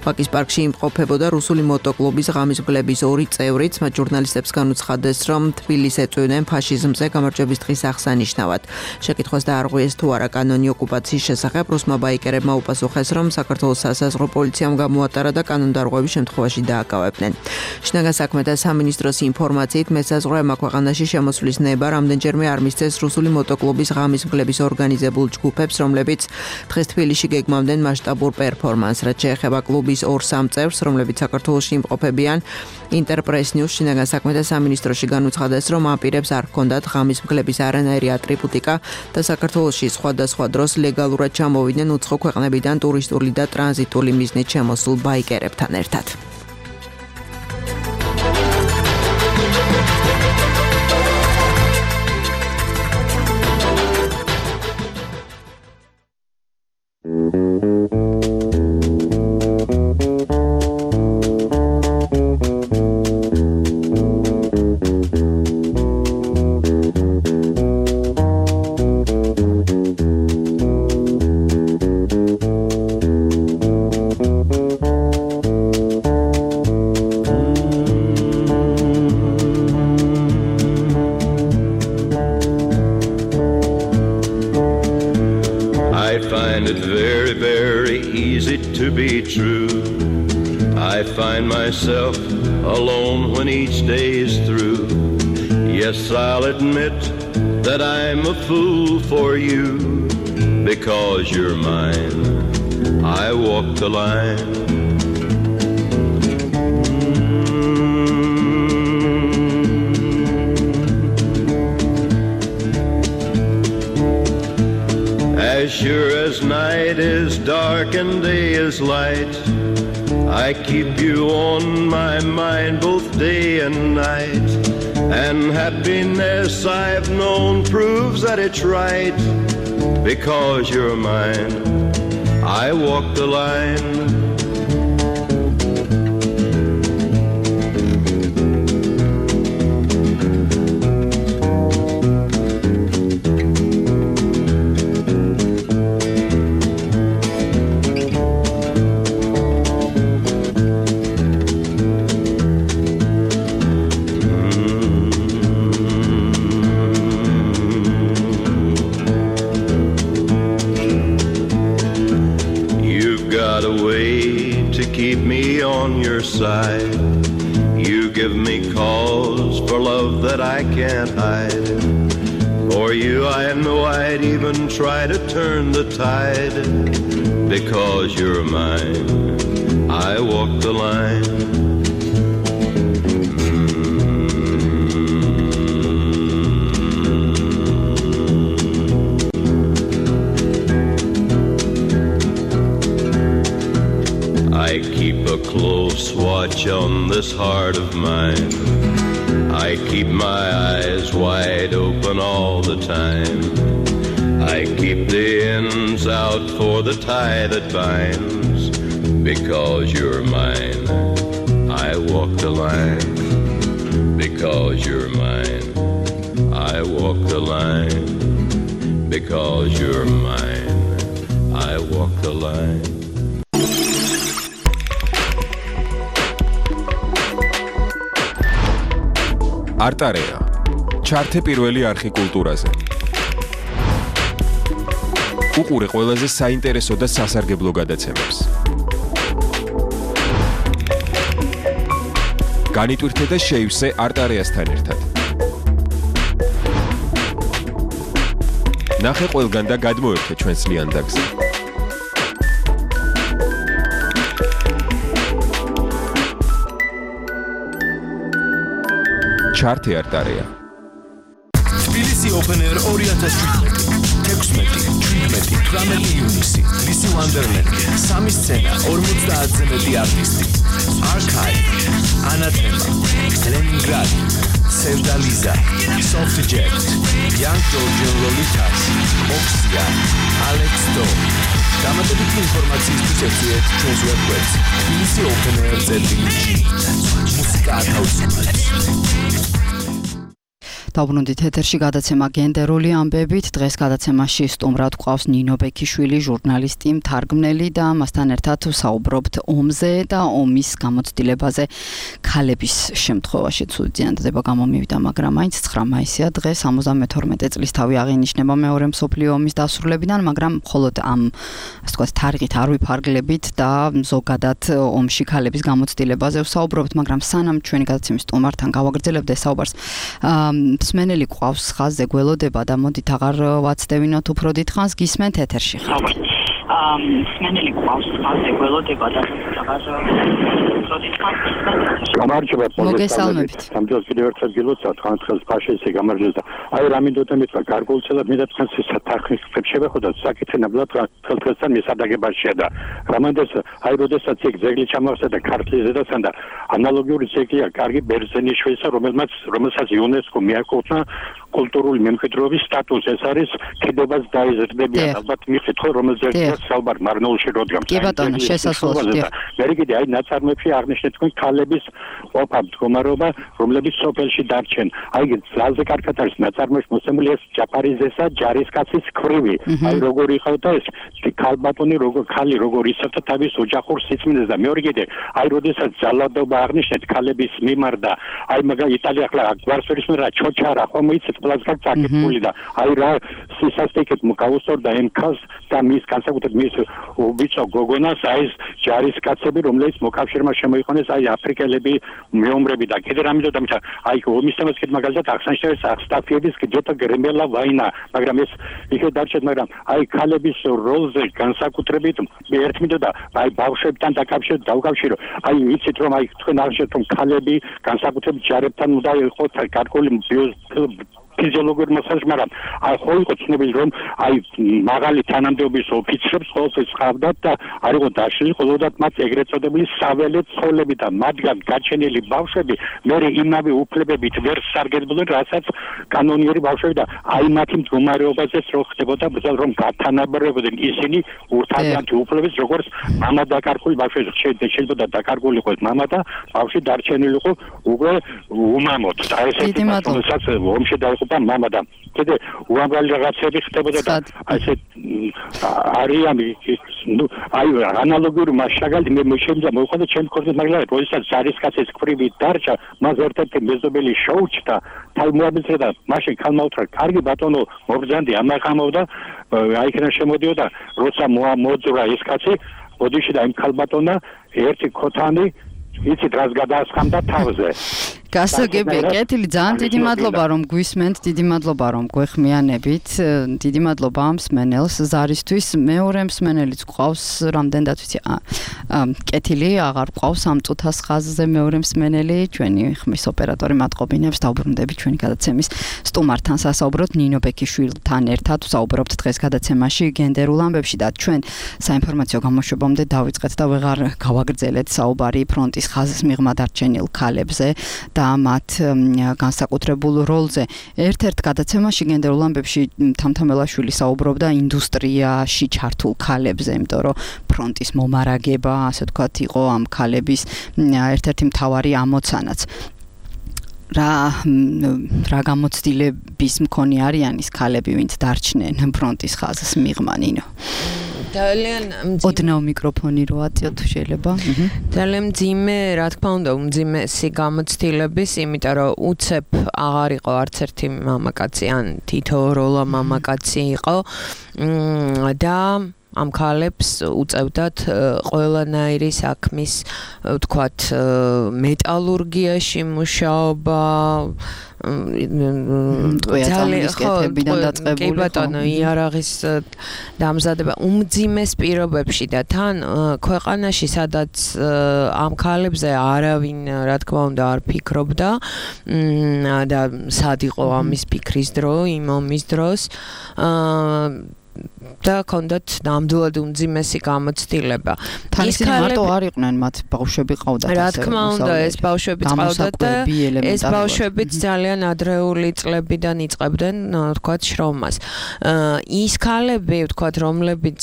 ვაკის პარკში იმყოფებოდა რუსული მოტოკლუბის ღამის მგლების 2 წევრიც. მათ ჟურნალისტებს განუცხადეს, რომ თბილისს ეწვივნენ ფაშიზმზე გამარჯვების დღის აღსანიშნავად. შეკითხვას დაარღვიეს თუ არა კანონი ოკუპაციის შესახებ, რუსმა ბაიკერებმა უპასუხეს, რომ საქართველოს სასაზღვრო პოლიციამ გამოატარა და კანონდარღვევის შემთხვევაში დააკავებდნენ. შინაგან საქმეთა სამინისტროს ინფორმაციით მესაზღვრეებმა ქვეყანაში შემოსვლის ნება რამდენჯერმე არ მისცეს რუსული მოტოკლუბის ღამის მგლების ორგანიზებულ ჯგუფებს, რომლებიც დღეს თბილისში გეგმავდნენ მასშტაბურ პერფორმანსს. რაც შეეხება კლუბის 2-3 წევრს, რომლებიც საქართველოში იმყოფებიან, ინტერპრეს ნიუს შინაგან საქმეთა სამინისტროში განუცხადეს, რომ ამ პირებს არ ჰქონდათ ღამის მგლების არანაირი ატრიბუტიკა და საქართველოში სხვადასხვა დროს ლეგალურად ჩამოვიდნენ უცხო ქვეყნებიდან ტურისტული და ტრანზიტული მიზნით შემოსულ ბაიკერებთან ერთად. Myself alone when each day is through. Yes, I'll admit that I'm a fool for you. Because you're mine, I walk the line. As sure as night is dark and day is light, I keep you on my mind both day and night. And happiness I've known proves that it's right. Because you're mine, I walk the line. Side. You give me cause for love that I can't hide. For you I know I'd even try to turn the tide. Because you're mine, I walk the line. I keep a close watch on this heart of mine. I keep my eyes wide open all the time. I keep the ends out for the tie that binds. Because you're mine, I walk the line. Because you're mine, I walk the line. Because you're mine, I walk the line. არტარეა ჩართე პირველი არხი კულტურაზე. უყურე ყველაზე საინტერესო და სასარგებლო გადაცემებს. განიტვირთე და შეივსე არტარეასთან ერთად. ნახე ყველგან და გადმოერთე ჩვენს ლიანდაგზე. ჩართე არტარეა. თბილისი Open Air 2017. 16-17 ივნისი. ლისი ვანდერლენდი, სამი სცენა, 50-ზე მეტი არტისტი. Archive, Anathema, Leningrad, Sevdaliza, Softjet, Young Georgian Lolitas, Oxia, Alex Do. დამატებითი ინფორმაციისთვის ეწვიეთ ჩვენს ვებგვერდს tbilisi.openair.gr. მუსიკა ათავისუფლებს. დაუბრუნდით ეთერში გადაცემა გენდერული ამბებით. დღეს გადაცემაში სტუმრად გვყავს ნინო ბექიშვილი, ჟურნალისტი, მთარგმნელი და მასთან ერთად საუბრობთ ომზე და ომის გამოცდილებაზე. ქალების შემთხვევაში ცუდი ზიანდება გამომივიდა, მაგრამ მაინც 9 მაისია დღეს 72 წლის თავი აღინიშნება მეორე მსოფლიო ომის დასრულებიდან, მაგრამ მხოლოდ ამ ასე ვთქვათ თარიღით არ ვიფარგლებით და ზოგადად ომში ქალების გამოცდილებაზე ვსაუბრობთ, მაგრამ სანამ ჩვენი გადაცემის სტუმართან გავაგრძელებთ ეს საუბარს, მსმენელი გვყავს ხაზზე გველოდება და მოდით აღარ ვაცდევინოთ უფრო დიდხანს, გისმენთ ეთერში ხართ. მსმენელი გვყავს ხაზზე გველოდება და აღარ უფრო დიდხანს გისმენთ. გამარჯობა, მოგესალმებით. სამჯერ კიდევ ერთხელ გილოცავთ, ხანხელს ფაშესე გამარჯობა და აი რამინდოდა მეთქვა გარკვეულწილად მე და თქვენს საფრთხეს შევეხოდა საკითხი ნაბლად ხელთქოსთან მისადაგებაშია და რამანდეს აი როდესაც ეგ ძეგლი ჩამოვსადა ქართლის ზედასთან და ანალოგიური ძეგლია კარგი ბერძენიშვილისა რომელსაც იუნესკო მიაკუთვნა კულტურული მემკვიდრეობის სტატუსს. ეს არის ქედებას დაიზრდებიან ალბათ მიხეთქო რომელზეც საუბარ მარნეულში როდგამს. კი ბატონო, შესასვლელს. მე კიდე აი ნაწარმოებში აღნიშნეთ თქვენ ქალების ყოფა მდგომარეობა რომლებიც სოფელში დარჩენ. აი ძალზე კარგად არის ნაწარმოებში მოსემული ეს ჯაფარიზესა ჯარისკაცის ქვრივი. აი როგორ იყავდა ეს ქალბატონი ქალი როგორ იცავდა თავის ოჯახურ სიწმინდეს და მეორე კიდე აი როდესაც ძალადობა აღნიშნეთ ქალების მიმართ და აი მაგალითად იტალია ახლა გვარსვერის მერა ჩოჩარა ხომ იცით ყველას გაკეთებული და აი რა სისასტიკეთ მოგავსორდა ამ ქალს და მის განსაკუთრებით მის ვიწო გოგონას აი ეს ჯარისკაცები რომლებიც მოკავშირემა შემოიყვანეს აი აფრიკელები მეომრები და კიდე რამე და აი ომის თემას კიდე მაგალითად აღსანიშნავია სტაფიების გეტო გრემელა ვაინა მაგრამ ეს იქე დარჩეთ მაგრამ აი ქალების როლზე განსაკუთრებით ერთი მინდოდა აი ბავშვებთან დავკავშირო აი იცით რომ აი თქვენ აღნიშნეთ რომ ქალები განსაკუთრებით ჯარებთან უნდა იყოს გარკვეული ფიზიოლოგიური მასაჟი, მაგრამ აი ხო იყო ცნობილი რომ აი მაღალი თანამდებობის ოფიცრებს ყოველთვის ხავდათ და არ იყო დაშლილი ყოველდღე მათ ეგრეთ წოდებული საველე ცოლები და მათგან გაჩენილი ბავშვები მერე იმავე უფლებებით ვერ სარგებლობდნენ რასაც კანონიერი ბავშვები და აი მათი მდგომარეობაზეც რო ხდებოდა რომ გათანაბრებოდნენ ისინი ურთაერთი უფლებებს როგორც მამა დაკარგული ბავშვები შეიძლება დაკარგული იყოს მამა და ბავშვი დარჩენილი იყო უკვე უმამოდ და ესეთი მასალაც ომში დაიყო და მამა და კიდე უამრავი რაღაცები ხდებოდა და ასე არიან აი ანალოგიური მასშტაბი მე შემიძლია მოიყვანო ჩემს ქორწინებას მაგრამ როდესაც ჯარისკაცის ქვრივი დარჩა მას ერთ-ერთი მეზობელი შოუჩდა თალმოაბიძე და მაშინ ქალმა უთხრა კარგი ბატონო მობრძანდი ამაღამოვდა აი იქიდან შემოდიოდა როცა მოძრა ეს კაცი ოდიში და იმ ქალბატონმა ერთი ქოთანი იცით რას გადაასხამდა თავზე გასაგებია, კეთილი, ძალიან დიდი მადლობა რომ გვისმენთ, დიდი მადლობა რომ გვეხმიანებით, დიდი მადლობა ამ მსმენელს ზარისთვის, მეორე მსმენელიც გვყავს, რამდენად ვიცი, კეთილი, აღარ გვყავს ამ წუთას ხაზზე მეორე მსმენელი, ჩვენი ხმის ოპერატორი მატყობინებს, დავბრუნდებით ჩვენი გადაცემის სტუმართან სასაუბროთ ნინო ბექიშვილთან ერთად, ვსაუბრობთ დღეს გადაცემაში გენდერულ ამბებში და ჩვენ საინფორმაციო გამოშვებამდე დავიწყეთ და ვეღარ გავაგრძელეთ საუბარი ფრონტის ხაზის მიღმა დარჩენილ ქალებზე და მათ განსაკუთრებულ როლზე. ერთ-ერთ გადაცემაში გენდერულ ამბებში თამთამელაშვილი საუბრობდა ინდუსტრიაში ჩართულ ქალებზე, იმიტომ რომ ფრონტის მომარაგება, ასე ვთქვათ, იყო ამ ქალების ერთ-ერთი მთავარი ამოცანაც. რა გამოცდილების მქონე არიან ის ქალები, ვინც დარჩნენ ფრონტის ხაზის მიღმა ნინო? ძალიან ოდნავ მიკროფონი რო აწიოთ თუ შეიძლება. ძალიან მძიმე, რა თქმა უნდა, უმძიმესი გამოცდილების, იმიტომ რომ უცებ აღარ იყო არც ერთი მამაკაცი, ან თითოეულა მამაკაცი იყო და ამ ქალებს უწევდათ ყველანაირი საქმის, ვთქვათ, მეტალურგიაში მუშაობა, კი ბატონო, იარაღის დამზადება უმძიმეს პირობებში და თან ქვეყანაში, სადაც ამ ქალებზე არავინ, რა თქმა უნდა, არ ფიქრობდა და სად იყო ამის ფიქრის დრო, იმ ომის დროს და კონდათ ნამდვილად უმძიმესი გამოცდილება. ის მარტო არ იყვნენ, მათ ბავშვები ყავდათ. რა თქმა უნდა, ეს ბავშვები ყავდათ და ეს ბავშვებიც ძალიან ადრეული წლებიდან იწყებდნენ, ვთქვათ, შრომას. ის ქალები, ვთქვათ, რომლებიც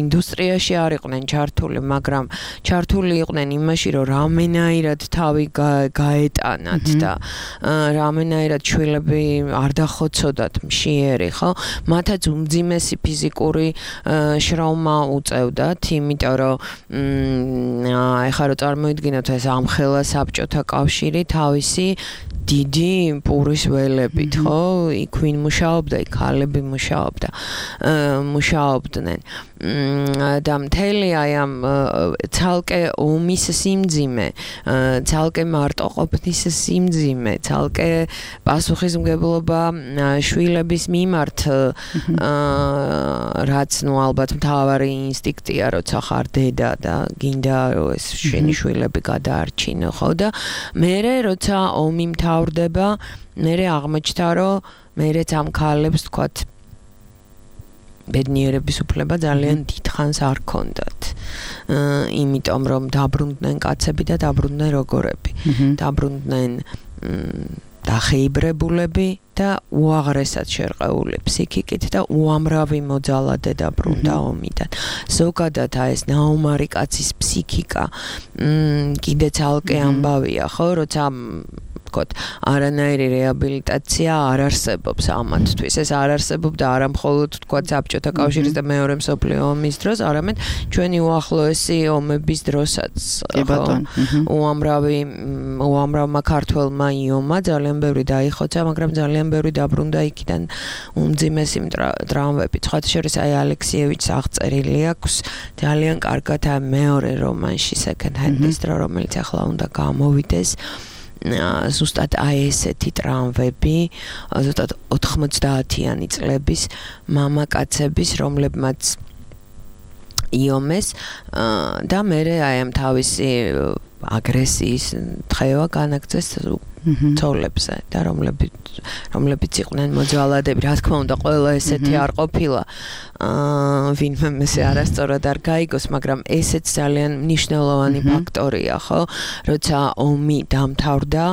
ინდუსტრიაში არ იყვნენ ჩართული, მაგრამ ჩართული იყვნენ იმაში, რომ რამენაირად თავი გაეტანათ და რამენაირად შვილები არ დახოცოდათ მშიერი, ხო? მათაც უმძიმესი ფიზიკური შრომა უწევდათ, იმიტომ რომ ეხლა რო წარმოიდგინოთ ეს ამხელა საბჭოთა კავშირი თავისი დიდი პურის ველებით, ხო? იქ ვინ მუშაობდა, იქ ქალები მუშაობდნენ. და მთელი აი ამ ცალკე ომის სიმძიმე, ცალკე მარტოყოფნის სიმძიმე, ცალკე პასუხისმგებლობა შვილების მიმართ, რაც ნუ ალბათ მთავარი ინსტინქტია, როცა ხარ დედა და გინდა რომ ეს შენი შვილები გადაარჩინო, ხო? და მერე როცა ომი მთავრდება, მერე აღმოჩნდა, რომ მერეც ამ ქალებს, თქვათ, ბედნიერების უფლება ძალიან დიდხანს არ ქონდათ. იმიტომ რომ დაბრუნდნენ კაცები და დაბრუნდნენ როგორები. დაბრუნდნენ დახეიბრებულები და უაღრესად შერყეული ფსიქიკით და უამრავი მოძალადე დაბრუნდა ომიდან. ზოგადად ეს ნაუმარი კაცის ფსიქიკა კიდე ცალკე ამბავია, ხო, როცა არანაირი რეაბილიტაცია არ არსებობს ამათთვის. ეს არ არსებობდა არა მხოლოდ თქვათ საბჭოთა კავშირის და მეორე მსოფლიო ომის დროს, არამედ ჩვენი უახლოესი ომების დროსაც. უამრავმა ქართველმა იომა, ძალიან ბევრი დაიხოცა, მაგრამ ძალიან ბევრი დაბრუნდა იქიდან უმძიმესი ტრავმებით. სხვა შორის აი ალექსიევიჩს აღწერილი აქვს ძალიან კარგად მეორე რომანში Second Hand-ის დრო, რომელიც ახლა უნდა გამოვიდეს. ზუსტად აი ესეთი ტრავმები, ზუსტად 90-იანი წლების მამაკაცების, რომლებმაც იომეს და მერე აი ამ თავისი აგრესიის დღევა განაგრძეს ცოლებზე და რომლებიც იყვნენ მოძალადები. რა თქმა უნდა, ყველა ესეთი არ ყოფილა, ვინმე მესე არასწორად არ გაიგოს, მაგრამ ესეც ძალიან მნიშვნელოვანი ფაქტორია, ხო? როცა ომი დამთავრდა,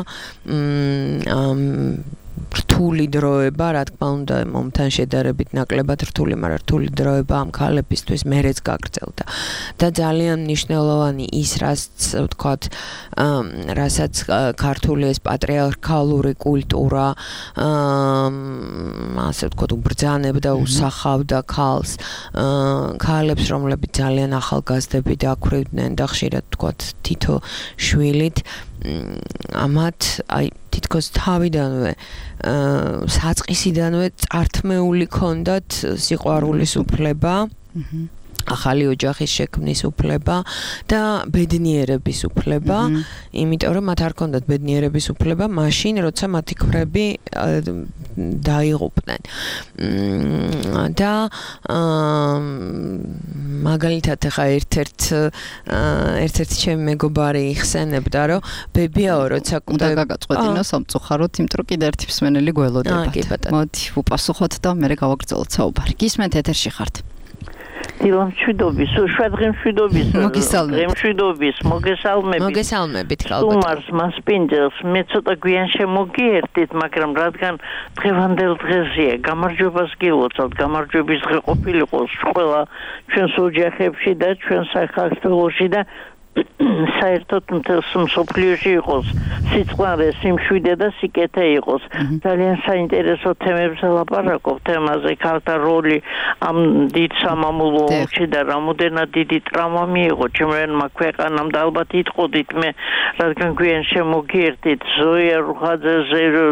რთული დროება, რა თქმა უნდა, მომთან შედარებით ნაკლებად რთული, მაგრამ რთული დროება ამ ქალებისთვის მერეც გაგრძელდა. და ძალიან მნიშვნელოვანი ის, ვთქვათ, რასაც ქართული ეს პატრიარქალური კულტურა, ასე ვთქვათ, უბრძანებდა, უსახავდა ქალს, ქალებს, რომლებიც ძალიან ახალგაზრდები დაქვრივდნენ და ხშირად, ვთქვათ, თითო შვილით, ამათ აი თითქოს თავიდანვე საწყისიდანვე წართმეული ქონდათ სიყვარულის უფლება ახალი ოჯახის შექმნის უფლება და ბედნიერების უფლება, იმიტომ რომ მათ არ ჰქონდათ ბედნიერების უფლება მაშინ, როცა მათი ქვები დაიღუპნენ. და მაგალითად ახლა ერთ-ერთი ჩემი მეგობარი იხსენებდა, რომ ბებიაო, როცა უნდა გაგაწყვეტინო სამწუხაროდ, იმიტომ რომ კიდე ერთი მსმენელი გველოდებათ. მოდი, ვუპასუხოთ და მერე გავაგრძელოთ საუბარი. გისმენთ ეთერში ხართ. დილამშვიდობის, შვადღემშვიდობის, მოგესალმებით, სტუმარს მასპინძელს, მე ცოტა გვიან შემოგიერთით, მაგრამ რადგან დღევანდელ დღეზეა, გამარჯვებას გილოცავთ, გამარჯვების დღე ყოფილიყოს ყველა ჩვენს ოჯახებში და ჩვენ საქართველოში და საერთოდ მთელს მსოფლიოში იყოს სიწყნარე, სიმშვიდე და სიკეთე იყოს. ძალიან საინტერესო თემებზე ლაპარაკობთ, თემაზე ქალთა როლი ამ დიდ სამამულო ომში და რამოდენად დიდი ტრავმა მიიღო ჩემრენმა ქვეყანამ და ალბათ იტყოდით მე, რადგან გვიან შემოგიერთით ზოია რუხაძე,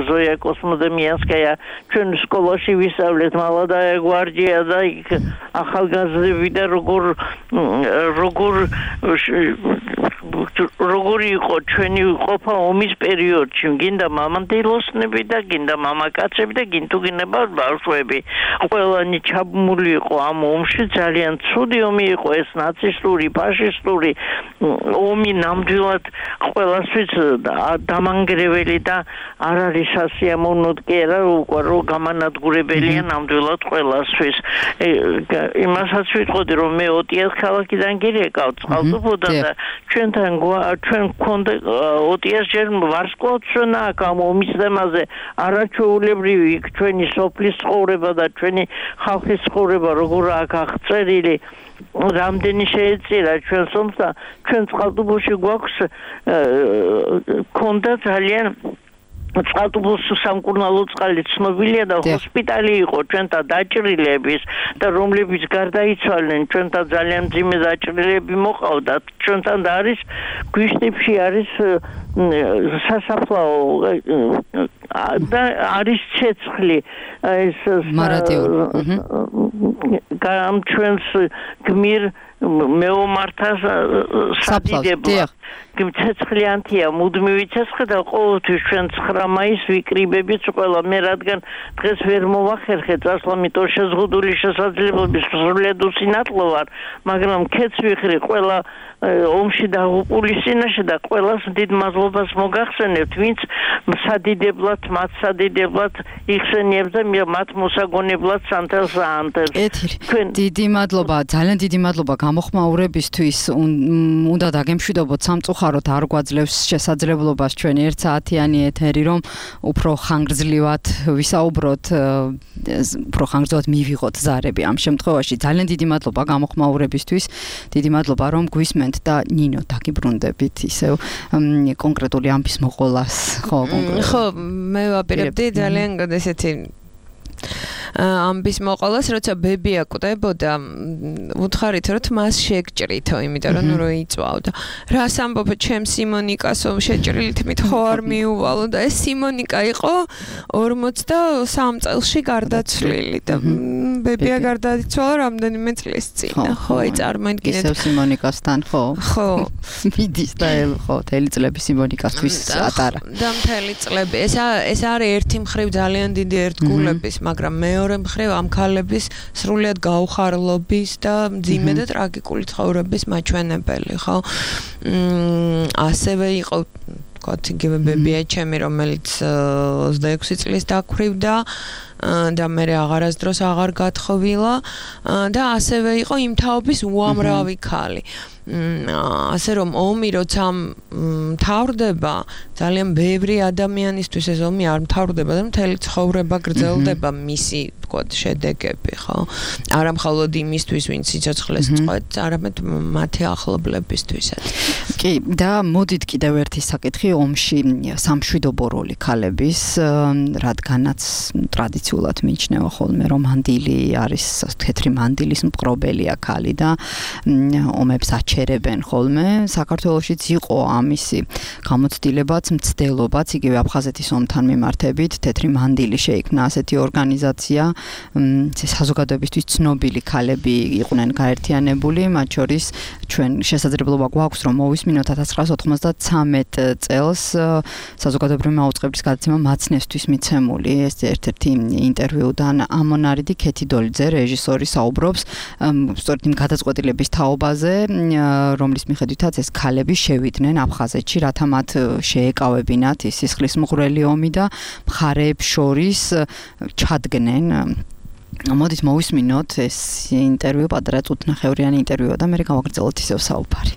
ზოია კოსმოდემიანსკაია, ჩვენ სკოლაში ვისწავლეთ მალადაია გვარდია და იქ ახალგაზრდები და როგორი იყო ჩვენი ყოფა ომის პერიოდში, გინდა მამამდილოსნები და გინდა მამაკაცები და გინდა ბავშვები. ყველანი ჩაბმული იყო ამ ომში, ძალიან ცუდი ომი იყო ეს ნაცისტური, ფაშისტური ომი ნამდვილად ყველასთვის დამანგრეველი და არ არის სასიამოვნოდ კი არა, რო გამანადგურებელია ნამდვილად ყველასთვის. იმასაც ვიტყოდი, რომ მე ოტიას ქალაქიდან გირეკავ წყალტუბოდან და ჩვენ გქონდა ოტიას ჯერ ვარსკვლავთშონა აქ ამ ომის თემაზე არაჩვეულებრივი იქ ჩვენი სოფლის ცხოვრება და ჩვენი ხალხის ცხოვრება როგორ აქ აღწერილი რამდენი შეეწირა ჩვენს ომს და ჩვენ წყალტუბოში გვაქვს გქონდა ძალიან წყალტუბოს სამკურნალო წყალი ცნობილია და ჰოსპიტალი იყო ჩვენთა დაჭრილების და რომლებიც გარდაიცვალნენ ჩვენთა ძალიან მძიმე დაჭრილები მოყავდათ ჩვენთან და არის გვიშტებში არის სასაფლაო და არის ცეცხლი ეს ამ ჩვენს გმირ მეომართას სადიდებლად ცეცხლიანთია მუდმივი ცეცხლი და ყოველთვის ჩვენ 9 მაისს ვიკრიბებით ყველა მე რადგან დღეს ვერ მოვახერხე წასვლამიტო შეზღუდული შესაძლებლობის სრულიად უსინათლო ვარ მაგრამ ქეც ვიხრი ყველა ომში დაღუპული სინაშე და ყველას დიდ მადლობას მოგახსენებთ ვინც სადიდებლად მათ სადიდებლად იხსენიებს და მათ მოსაგონებლად სანთელს აანთებს დიდი მადლობა ძალიან დიდი მადლობა გამოხმაურებისთვის უნდა დაგემშვიდობოთ სამწუხაროდ არ გვაძლევს შესაძლებლობას ჩვენი 1 საათიანი ეთერი რომ უფრო ხანგრძლივად ვისაუბროთ უფრო ხანგრძლივად მივიღოთ ზარები ამ შემთხვევაში ძალიან დიდი მადლობა გამოხმაურებისთვის დიდი მადლობა რომ გვისმენთ და ნინო დაგიბრუნდებით ისევ კონკრეტული ამბის მოყოლას ხო მე ვაპირებდი ძალიან ესეთი ამბის მოყოლას როცა ბებია კვდებოდა უთხარით რომ მას შეგჭრითო იმიტომ რომ რო იწვავდა რას ამბობ ჩემ სიმონიკასო შეჭრილით მით ხო არ მიუვალო და ეს სიმონიკა იყო 43 წელში გარდაცვლილი და ბებია გარდაიცვალა რამდენიმე წლის წინ ხო აი წარმოიდგინეთ ისევ სიმონიკასთან ხო ხო მიდის და ხო თელი წლები სიმონიკასთვის ატარა და მთელი წლები ეს არის ერთი მხრივ ძალიან დიდი ერთგულების მაგრამ მეორე მხრივ ამ ქალების სრულიად გაუხარლობის და მძიმე და ტრაგიკული ცხოვრების მაჩვენებელი ხო ასევე იყო კოთიგები ბებია ჩემი რომელიც 26 წლის დაქვრივდა და მე აღარასდროს აღარ გათხოვილა და ასევე იყო იმ თაობის უამრავი ქალი ასე რომ ომი როცა მთავრდება ძალიან ბევრი ადამიანისთვის ეს ომი არ მთავრდება და მთელი ცხოვრება გრძელდება მისი თქოთ შედეგები ხო არა მხოლოდ იმისთვის ვინც სიცოცხლეს წყვეტს არამედ მათი ახლობლებისთვისაც კი და მოდით კიდევ ერთი საკითხი ომში სამშვიდობო როლი ქალების რადგანაც ტრადიციულად მიიჩნევა ხოლმე რომ მანდილი არის თეთრი მანდილის მპყრობელია ქალი და ომებს აჩენს ჩერებენ ხოლმე. საქართველოშიც იყო ამისი გამოცდილებაც, მცდელობაც, იგივე აფხაზეთის ომთან მიმართებით, თეთრი მანდილი შეიქმნა ასეთი ორგანიზაცია, საზოგადოებისთვის ცნობილი ქალები იყვნენ გაერთიანებული, მათ შორის ჩვენ შესაძლებლობა გვაქვს რომ მოვისმინოთ 1993 წელს საზოგადოებრივი მაუწყებლის გადაცემა მაცნესთვის მიცემული ეს ერთ-ერთი ინტერვიუდან ამონარიდი ქეთი დოლიძე რეჟისორი საუბრობს სწორედ იმ გადაწყვეტილების თაობაზე რომლის მიხედვითაც ეს ქალები შევიდნენ აფხაზეთში რათა მათ შეეკავებინათ ის სისხლის მღვრელი ომი და მხარეებს შორის ჩადგნენ მოდით მოვისმინოთ ეს ინტერვიუ პატარა წუთნახევრიანი ინტერვიუა და მე გავაგრძელოთ ისევ საუბარი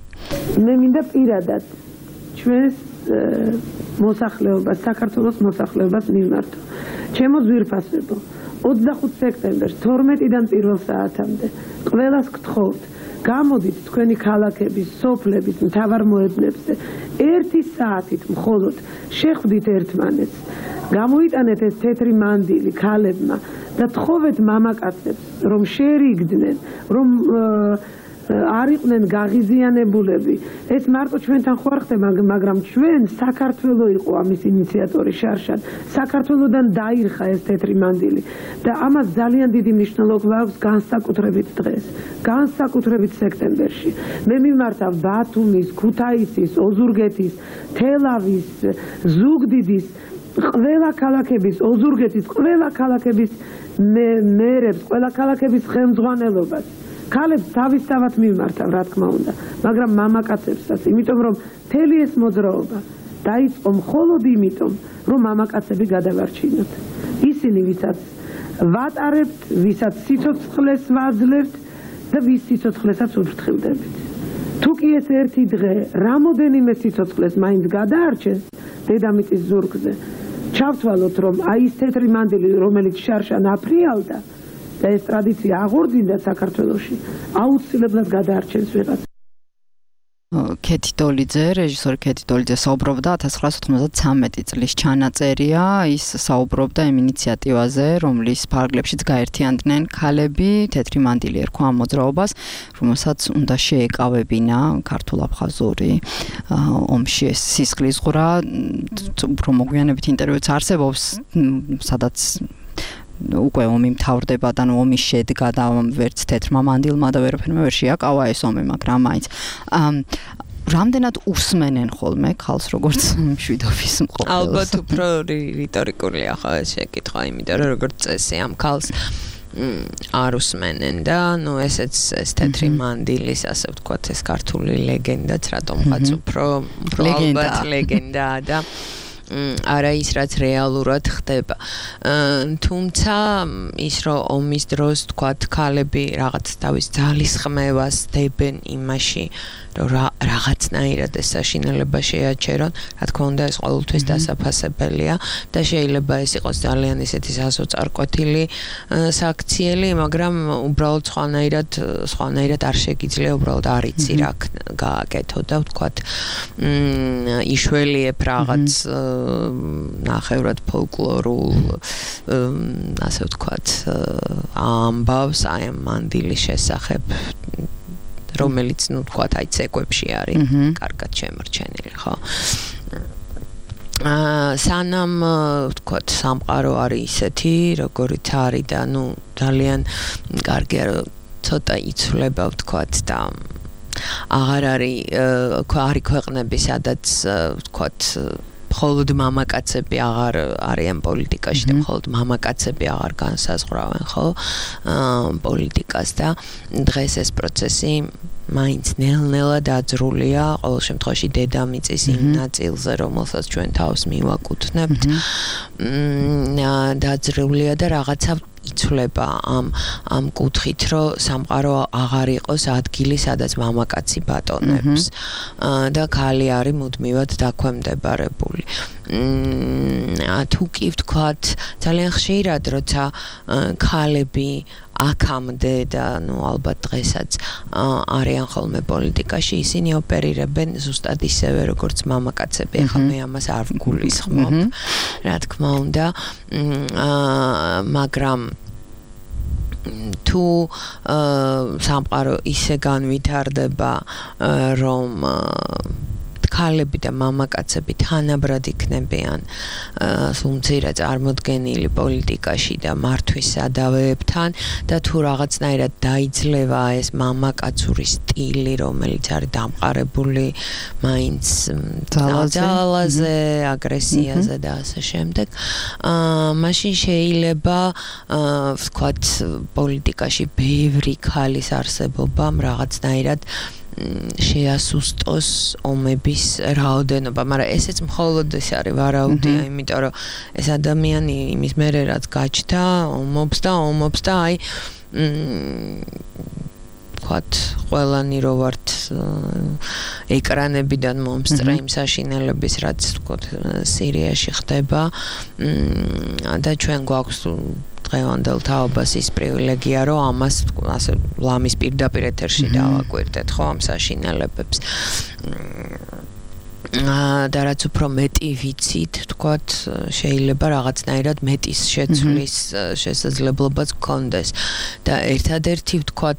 მე მინდა პირადად ჩვენს მოსახლეობას საქართველოს მოსახლეობას მიმართო ჩემო ძვირფასებო 25 სექტემბერს 12-დან პირველ საათამდე ყველას გთხოვთ გამოდით თქვენი ქალაქების, სოფლების მთავარ მოედნებზე 1 საათით მხოლოდ შეხვდით ერთმანეთს გამოიტანეთ ეს თეთრი მანდილი ქალებმა და თხოვეთ მამაკაცებს რომ შეერიგდნენ რომ არ იყვნენ გაღიზიანებულები ეს მარტო ჩვენთან ხო არ ხდება მაგრამ ჩვენ საქართველო იყო ამის ინიციატორი შარშან საქართველოდან დაირხა ეს თეთრი მანდილი და ამას ძალიან დიდი მნიშვნელობა აქვს განსაკუთრებით დღეს განსაკუთრებით სექტემბერში მე მიმართავ ბათუმის, ქუთაისის, ოზურგეთის, თელავის, ზუგდიდის ყველა ქალაქების, ოზურგეთის ყველა ქალაქების მერებს, ყველა ქალაქების ხელმძღვანელობას ქალებს თავისთავად მიმართავ, რა თქმა უნდა, მაგრამ მამაკაცებსაც, იმიტომ რომ მთელი ეს მოძრაობა დაიწყო მხოლოდ იმიტომ, რომ მამაკაცები გადავარჩინოთ. ისინი, ვისაც ვატარებთ, ვისაც სიცოცხლეს ვაძლევთ და ვის სიცოცხლესაც უფრთხილდებით. თუ კი ეს ერთი დღე რამოდენიმე სიცოცხლეს მაინც გადაარჩენს დედამიწის ზურგზე, ჩავთვალოთ, რომ აი ეს თეთრი მანდილი, რომელიც შარშან აფრიალდა და ეს ტრადიცია აღორძინდა საქართველოში, აუცილებლად გადაარჩენს ვიღაც. ქეთი დოლიძე, რეჟისორი ქეთი დოლიძე საუბრობდა 1993 წლის ჩანაწერია, ის საუბრობდა იმ ინიციატივაზე, რომლის ფარგლებშიც გაერთიანდნენ ქალები, თეთრი მანდილი ერქვა ამ მოძრაობას, რომელსაც უნდა შეეკავებინა ქართულ-აფხაზური ომში ეს სისხლისღვრა, უფრო მოგვიანებით ინტერვიუც არსებობს, სადაც უკვე ომი მთავრდება და ომი შედგა და ვერც თეთრმა მანდილმა და ვერაფერმა ვერ შეაკავა ეს ომი, მაგრამ მაინც რამდენად უსმენენ ხოლმე ქალს როგორც მშვიდობის მყოფელს? ალბათ უფრო რიტორიკულია ხო ეს შეკითხვა, იმიტომ რომ როგორც წესი ამ ქალს არ უსმენენ და ნუ ესეც ეს თეთრი მანდილის ასე ვთქვათ ეს ქართული ლეგენდაც რატომღაც უფრო ალბათ ლეგენდაა და არა ის რაც რეალურად ხდება. თუმცა ის რომ ომის დროს თქვათ ქალები რაღაც თავის ძალისხმევას დებენ იმაში რომ რაღაცნაირად ეს საშინელება შეაჩერონ, რა თქმა უნდა ეს ყოველთვის დასაფასებელია და შეიძლება ეს იყოს ძალიან ისეთი სასოწარკვეთილი საქციელი, მაგრამ უბრალოდ სხვანაირად არ შეგიძლია, უბრალოდ არ იცი რა გააკეთო და ვთქვათ იშველიებ რაღაც ნახევრად ფოლკლორულ ასე ვთქვათ ამბავს აი ამ მანდილის შესახებ რომელიც ნუ ვთქვათ აი ცეკვებში არის კარგად შემორჩენილი ხო სანამ ვთქვათ სამყარო არის ისეთი როგორიც არის და ნუ ძალიან კარგია რომ ცოტა იცვლება ვთქვათ და აღარ არის ქვეყნები სადაც ვთქვათ მხოლოდ მამაკაცები აღარ არიან პოლიტიკაში და მხოლოდ მამაკაცები აღარ განსაზღვრავენ ხო პოლიტიკას და დღეს ეს პროცესი მაინც ნელ-ნელა დაძრულია ყოველ შემთხვევაში დედამიწის იმ ნაწილზე რომელსაც ჩვენ თავს მივაკუთვნებთ დაძრულია და რაღაცა იცვლება ამ კუთხით რომ სამყარო აღარ იყოს ადგილი სადაც მამაკაცი ბატონებს და ქალი არის მუდმივად დაქვემდებარებული თუ კი ვთქვათ ძალიან ხშირად როცა ქალები აქამდე და ნუ ალბათ დღესაც არიან ხოლმე პოლიტიკაში ისინი ოპერირებენ ზუსტად ისევე როგორც მამაკაცები ახლა მე ამას არ ვგულისხმობ რა თქმა უნდა მაგრამ თუ სამყარო ისე განვითარდება, რომ ქალები და მამაკაცები თანაბრად იქნებიან სულ წარმოდგენილი პოლიტიკაში და მართვის სადავეებთან და თუ რაღაცნაირად დაიძლევა ეს მამაკაცური სტილი, რომელიც არის დამყარებული მაინც ძალაზე, აგრესიაზე და ასე შემდეგ, მაშინ შეიძლება ვთქვათ პოლიტიკაში ბევრი ქალის არსებობამ რაღაცნაირად შეასუსტოს ომების რაოდენობა, მაგრამ ესეც მხოლოდ ეს არის ვარაუდია, იმიტომ რომ ეს ადამიანი იმის მერე რაც გაჩნდა, ომობს და აი ვთქვათ, ყველანი რო ვართ ეკრანებიდან მომსწრე იმ საშინელების, რაც ვთქვათ სირიაში ხდება და ჩვენ გვაქვს დღევანდელ თაობას ის პრივილეგია, რომ ამას ასე ლამის პირდაპირ ეთერში დავაკვირდეთ, ხო, ამ საშინელებებს. და რაც უფრო მეტი ვიცით, ვთქვათ, შეიძლება რაღაცნაირად მეტის შეცვლის შესაძლებლობაც გქონდეს. და ერთადერთი ვთქვათ,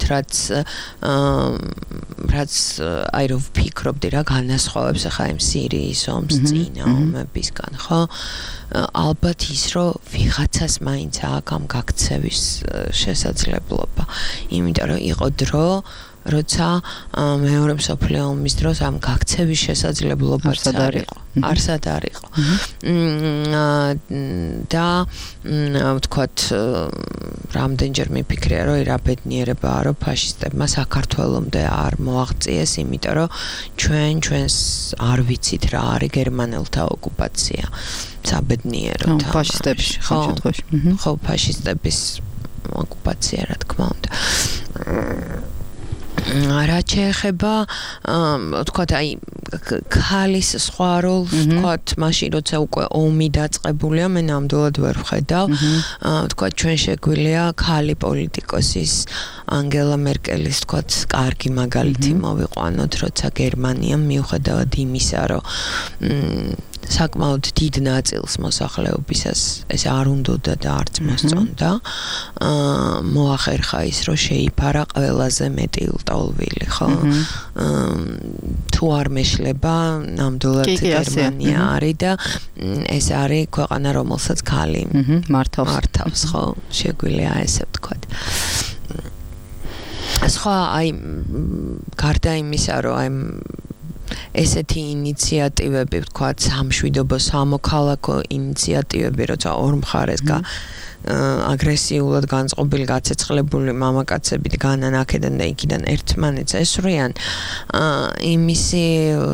რაც აი რომ ვფიქრობდი რა განასხვავებს ახლა იმ სირიის ომს წინა ომებისგან, ხო? ალბათ ის, რომ ვიღაცას მაინც აქვს ამ გაქცევის შესაძლებლობა. იმიტომ რომ იყო დრო, როცა მეორე მსოფლიო ომის დროს ამ გაქცევის შესაძლებლობაც არსად არ იყო. და ვთქვათ, რამდენჯერ მიფიქრია, რომ რა ბედნიერებაა, რომ ფაშისტებმა საქართველომდე არ მოაღწიეს, იმიტომ რომ ჩვენს არ ვიცით რა არის გერმანელთა ოკუპაცია. საბედნიერო ფაშისტების შემთხვევაში. ხო, ფაშისტების ოკუპაცია, რა თქმა უნდა. რაც შეეხება, ვთქვათ, აი ქალის სხვა როლს, ვთქვათ, მაშინ როცა უკვე ომი დაწყებულია, მე ნამდვილად ვერ ვხედავ. ვთქვათ, ჩვენ შეგვიძლია ქალი პოლიტიკოსის ანგელა მერკელის, ვთქვათ, კარგი მაგალითი მოვიყვანოთ, როცა გერმანიამ მიუხედავად იმისა, რომ საკმაოდ დიდ ნაწილს მოსახლეობისას ეს არ უნდოდა და არც მოსწონდა, მოახერხა ის, რომ შეიფარა ყველაზე მეტი ლტოლვილი, ხო? თუ არ მეშლება, ნამდვილად გერმანია არის და ეს არის ქვეყანა, რომელსაც ქალი მართავს, ხო? შეგვიძლია ესე ვთქვათ. სხვა აი გარდა იმისა, რომ აი ესეთი ინიციატივები, ვთქვათ, სამშვიდობო სამოქალაქო ინიციატივები, როცა ორ მხარეს აგრესიულად განწყობილი, გაცეცხლებული მამაკაცები განან აქედან და იქიდან ერთმანეთს ესვრიან, იმისი,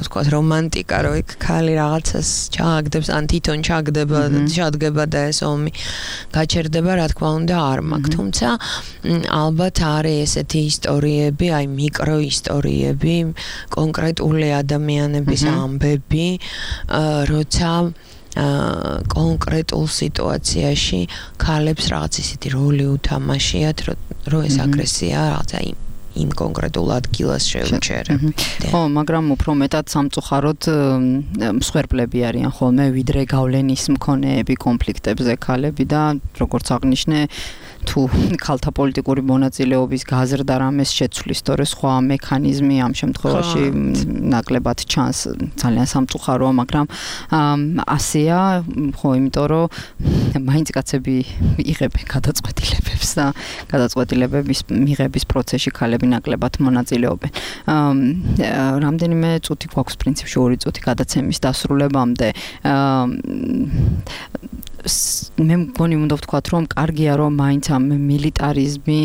ვთქვათ, რომანტიკა, რომ იქ ქალი რაღაცას ჩააგდებს, ან თვითონ ჩადგება და ეს ომი გაჩერდება, რა თქმა უნდა, არ მაქვს. თუმცა ალბათ არის ესეთი ისტორიები, აი მიკროისტორიები, კონკრეტული ადამიანების ამბები, როცა კონკრეტულ სიტუაციაში ქალებს რაღაც ისეთი როლი უთამაშიათ, რომ ეს აგრესია რაღაცა იმ კონკრეტულ ადგილას შეუჩერებ. ხო, მაგრამ უფრო მეტად სამწუხაროდ მსხვერპლები არიან ხოლმე, ვიდრე გავლენის მქონეები კონფლიქტებზე ქალები და როგორც აღნიშნე, თუ ქალთა პოლიტიკური მონაწილეობის გაზრდა რამეს შეცვლის, თორე სხვა მექანიზმი ამ შემთხვევაში ნაკლებად ჩანს, ძალიან სამწუხაროა, მაგრამ ასეა, ხო, იმიტომ რომ მაინც კაცები იღებენ გადაწყვეტილებებს და გადაწყვეტილებების მიღების პროცესში ქალები ნაკლებად მონაწილეობენ. რამდენიმე წუთი გვაქვს პრინციპში 2 წუთი გადაცემის დასრულებამდე. მე მგონი უნდა ვთქვათ, რომ კარგია, რომ მაინც ამ მილიტარიზმი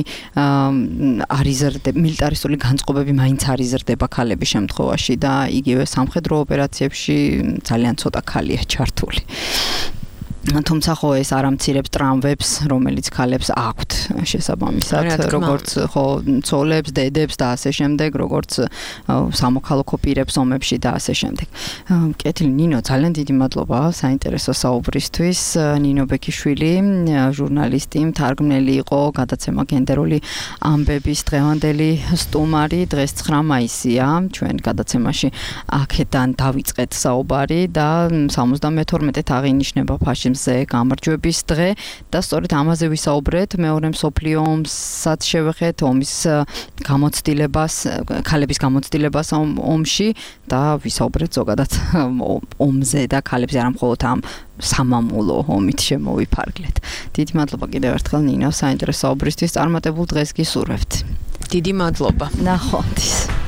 მილიტარისტული განწყობები მაინც არ იზრდება ქალების შემთხვევაში და იგივე სამხედრო ოპერაციებში ძალიან ცოტა ქალია ჩართული. თუმცა ხო ეს არ ამცირებს ტრამვებს, რომელიც ქალებს აქვთ შესაბამისად, როგორც ხო ცოლებს, დედებს და ასე შემდეგ, როგორც სამოქალაქო პირებს ომებში და ასე შემდეგ. კეთილი ნინო, ძალიან დიდი მადლობა საინტერესო საუბრისთვის. ნინო ბექიშვილი, ჟურნალისტი, მთარგმნელი იყო, გადაცემა გენდერული ამბების დღევანდელი სტუმარი. დღეს 9 მაისია, ჩვენ გადაცემაში აქედან დავიწყეთ საუბარი და 72-ით აღინიშნება მზე გამარჯვების დღე და სწორედ ამაზე ვისაუბრეთ. მეორე მსოფლიო ომსაც შევეხეთ, ომის გამოცდილებას, ქალების გამოცდილებას ომში და ვისაუბრეთ ზოგადად ომზე და ქალებზე არა მხოლოდ ამ სამამულო ომით შემოვიფარგლეთ. დიდი მადლობა კიდევ ერთხელ ნინო საინტერესო საუბრისთვის წარმატებულ დღეს გისურვებთ. დიდი მადლობა. ნახვამდის.